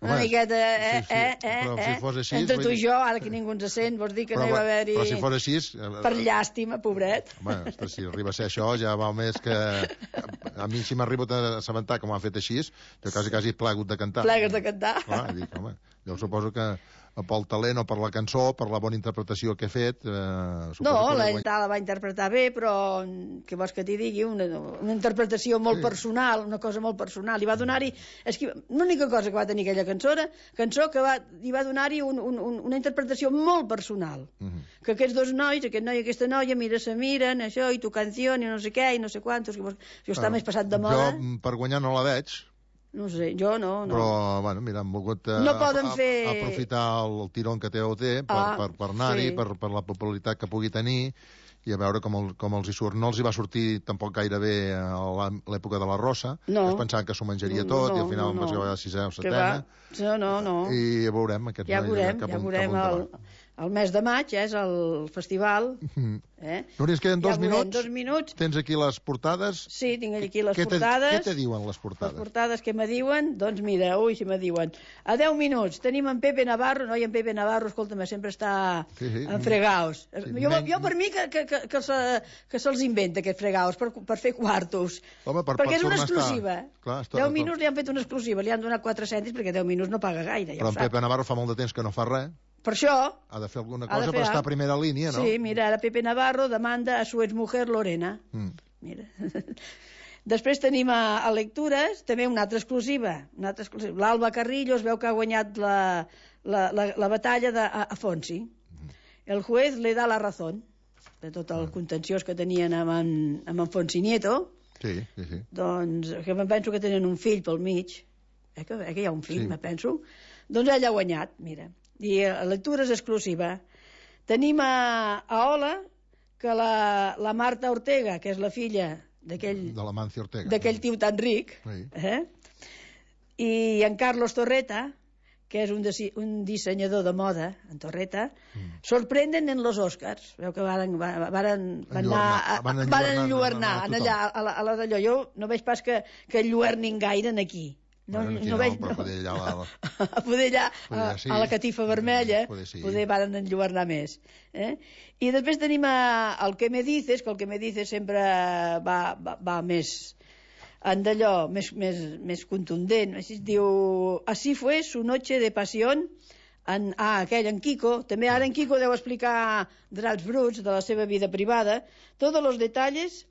Una Home, miqueta... Eh, sí, sí. eh, eh, però si fos així... Entre tu i jo, ara que ningú ens sent, vols dir que però, no hi va haver-hi... Però si fos així... Per llàstima, pobret. Home, si arriba a ser això, ja val més que... A mi si m'ha arribat a assabentar que m'ho han fet així, jo quasi, quasi he plegut de cantar. Plegues de cantar. Clar, dic, home, jo suposo que pel talent o per la cançó, per la bona interpretació que he fet... Eh, no, la guany... la va interpretar bé, però què vols que t'hi digui? Una, una interpretació molt sí. personal, una cosa molt personal. I va donar-hi... És que l'única cosa que va tenir aquella cançó, cançó que va, hi va donar-hi un, un, un, una interpretació molt personal. Uh -huh. Que aquests dos nois, aquest noi i aquesta noia, mira, se miren, això, i tu canció, i no sé què, i no sé quantos... Jo està ah, més passat de moda. Jo, per guanyar, no la veig. No sé, jo no, no. Però, bueno, mira, han volgut eh, no poden a, fer... a, aprofitar el, el tirón que té O T per, ah, per, per anar-hi, sí. per, per la popularitat que pugui tenir i a veure com, el, com els hi surt. No els hi va sortir tampoc gaire bé a l'època de la Rosa. No. Es pensaven que s'ho menjaria no, tot no, i al final no, no. va acabar sisena o setena. No, no, no. I ja veurem. Aquests ja veurem, ja veurem. El, el mes de maig és el festival. Mm. Eh? Núria, ens queden dos, ja minuts. dos minuts. Tens aquí les portades. Sí, tinc aquí les què portades. Què te diuen les portades? Les portades que me diuen, doncs mira, ui, si me diuen. A deu minuts tenim en Pepe Navarro, no, i en Pepe Navarro, escolta'm, sempre està sí, sí. en fregaos. Sí, jo, men... jo per mi que, que, que, que, se, que se'ls inventa aquests fregaos per, per fer quartos. Home, per, perquè per és una exclusiva. Clar, està, deu minuts li han fet una exclusiva, li han donat quatre cèntims perquè deu minuts no paga gaire. Ja però en Pepe Navarro fa molt de temps que no fa res. Per això... Ha de fer alguna cosa per estar a primera línia, no? Sí, mira, ara Pepe Navarro demanda a su exmujer Lorena. Mm. Mira. Després tenim a, a lectures també una altra exclusiva. Una altra exclusiva. L'Alba Carrillo es veu que ha guanyat la, la, la, la batalla d'Afonsi. Mm. El juez le da la razón de tot el contenciós que tenien amb en, amb en Fonsi Nieto. Sí, sí, sí. Doncs, que em penso que tenen un fill pel mig, eh, que, eh, que hi ha un fill, Sí. me penso. Doncs ella ha guanyat, mira. I la lectura és exclusiva. Tenim a, a Ola, que la, la Marta Ortega, que és la filla d'aquell De l'Amancio Ortega. d'aquell tio tan ric, Sí. eh? I en Carlos Torreta, que és un, desi, un dissenyador de moda, en Torreta, mm. sorprenden en los Oscars. Veu que varen, varen, varen anar... A, Van van enlluernar, en allà, a la, a la d'allò. Jo no veig pas que, que enlluernin gaire en aquí. No, Bueno, no, no, veig... però poder allà a la... a poder allà, Poder a, sí. a la catifa vermella, Poder sí. poder varen enlluernar més. Eh? I després tenim a, el que me dices, que el que me dices sempre va, va, va més... en d'allò més, més, més contundent. Així es diu, así fue su noche de pasión. En, ah, aquell, en Kiko. També ara en Kiko deu explicar drets bruts de la seva vida privada. Todos los detalles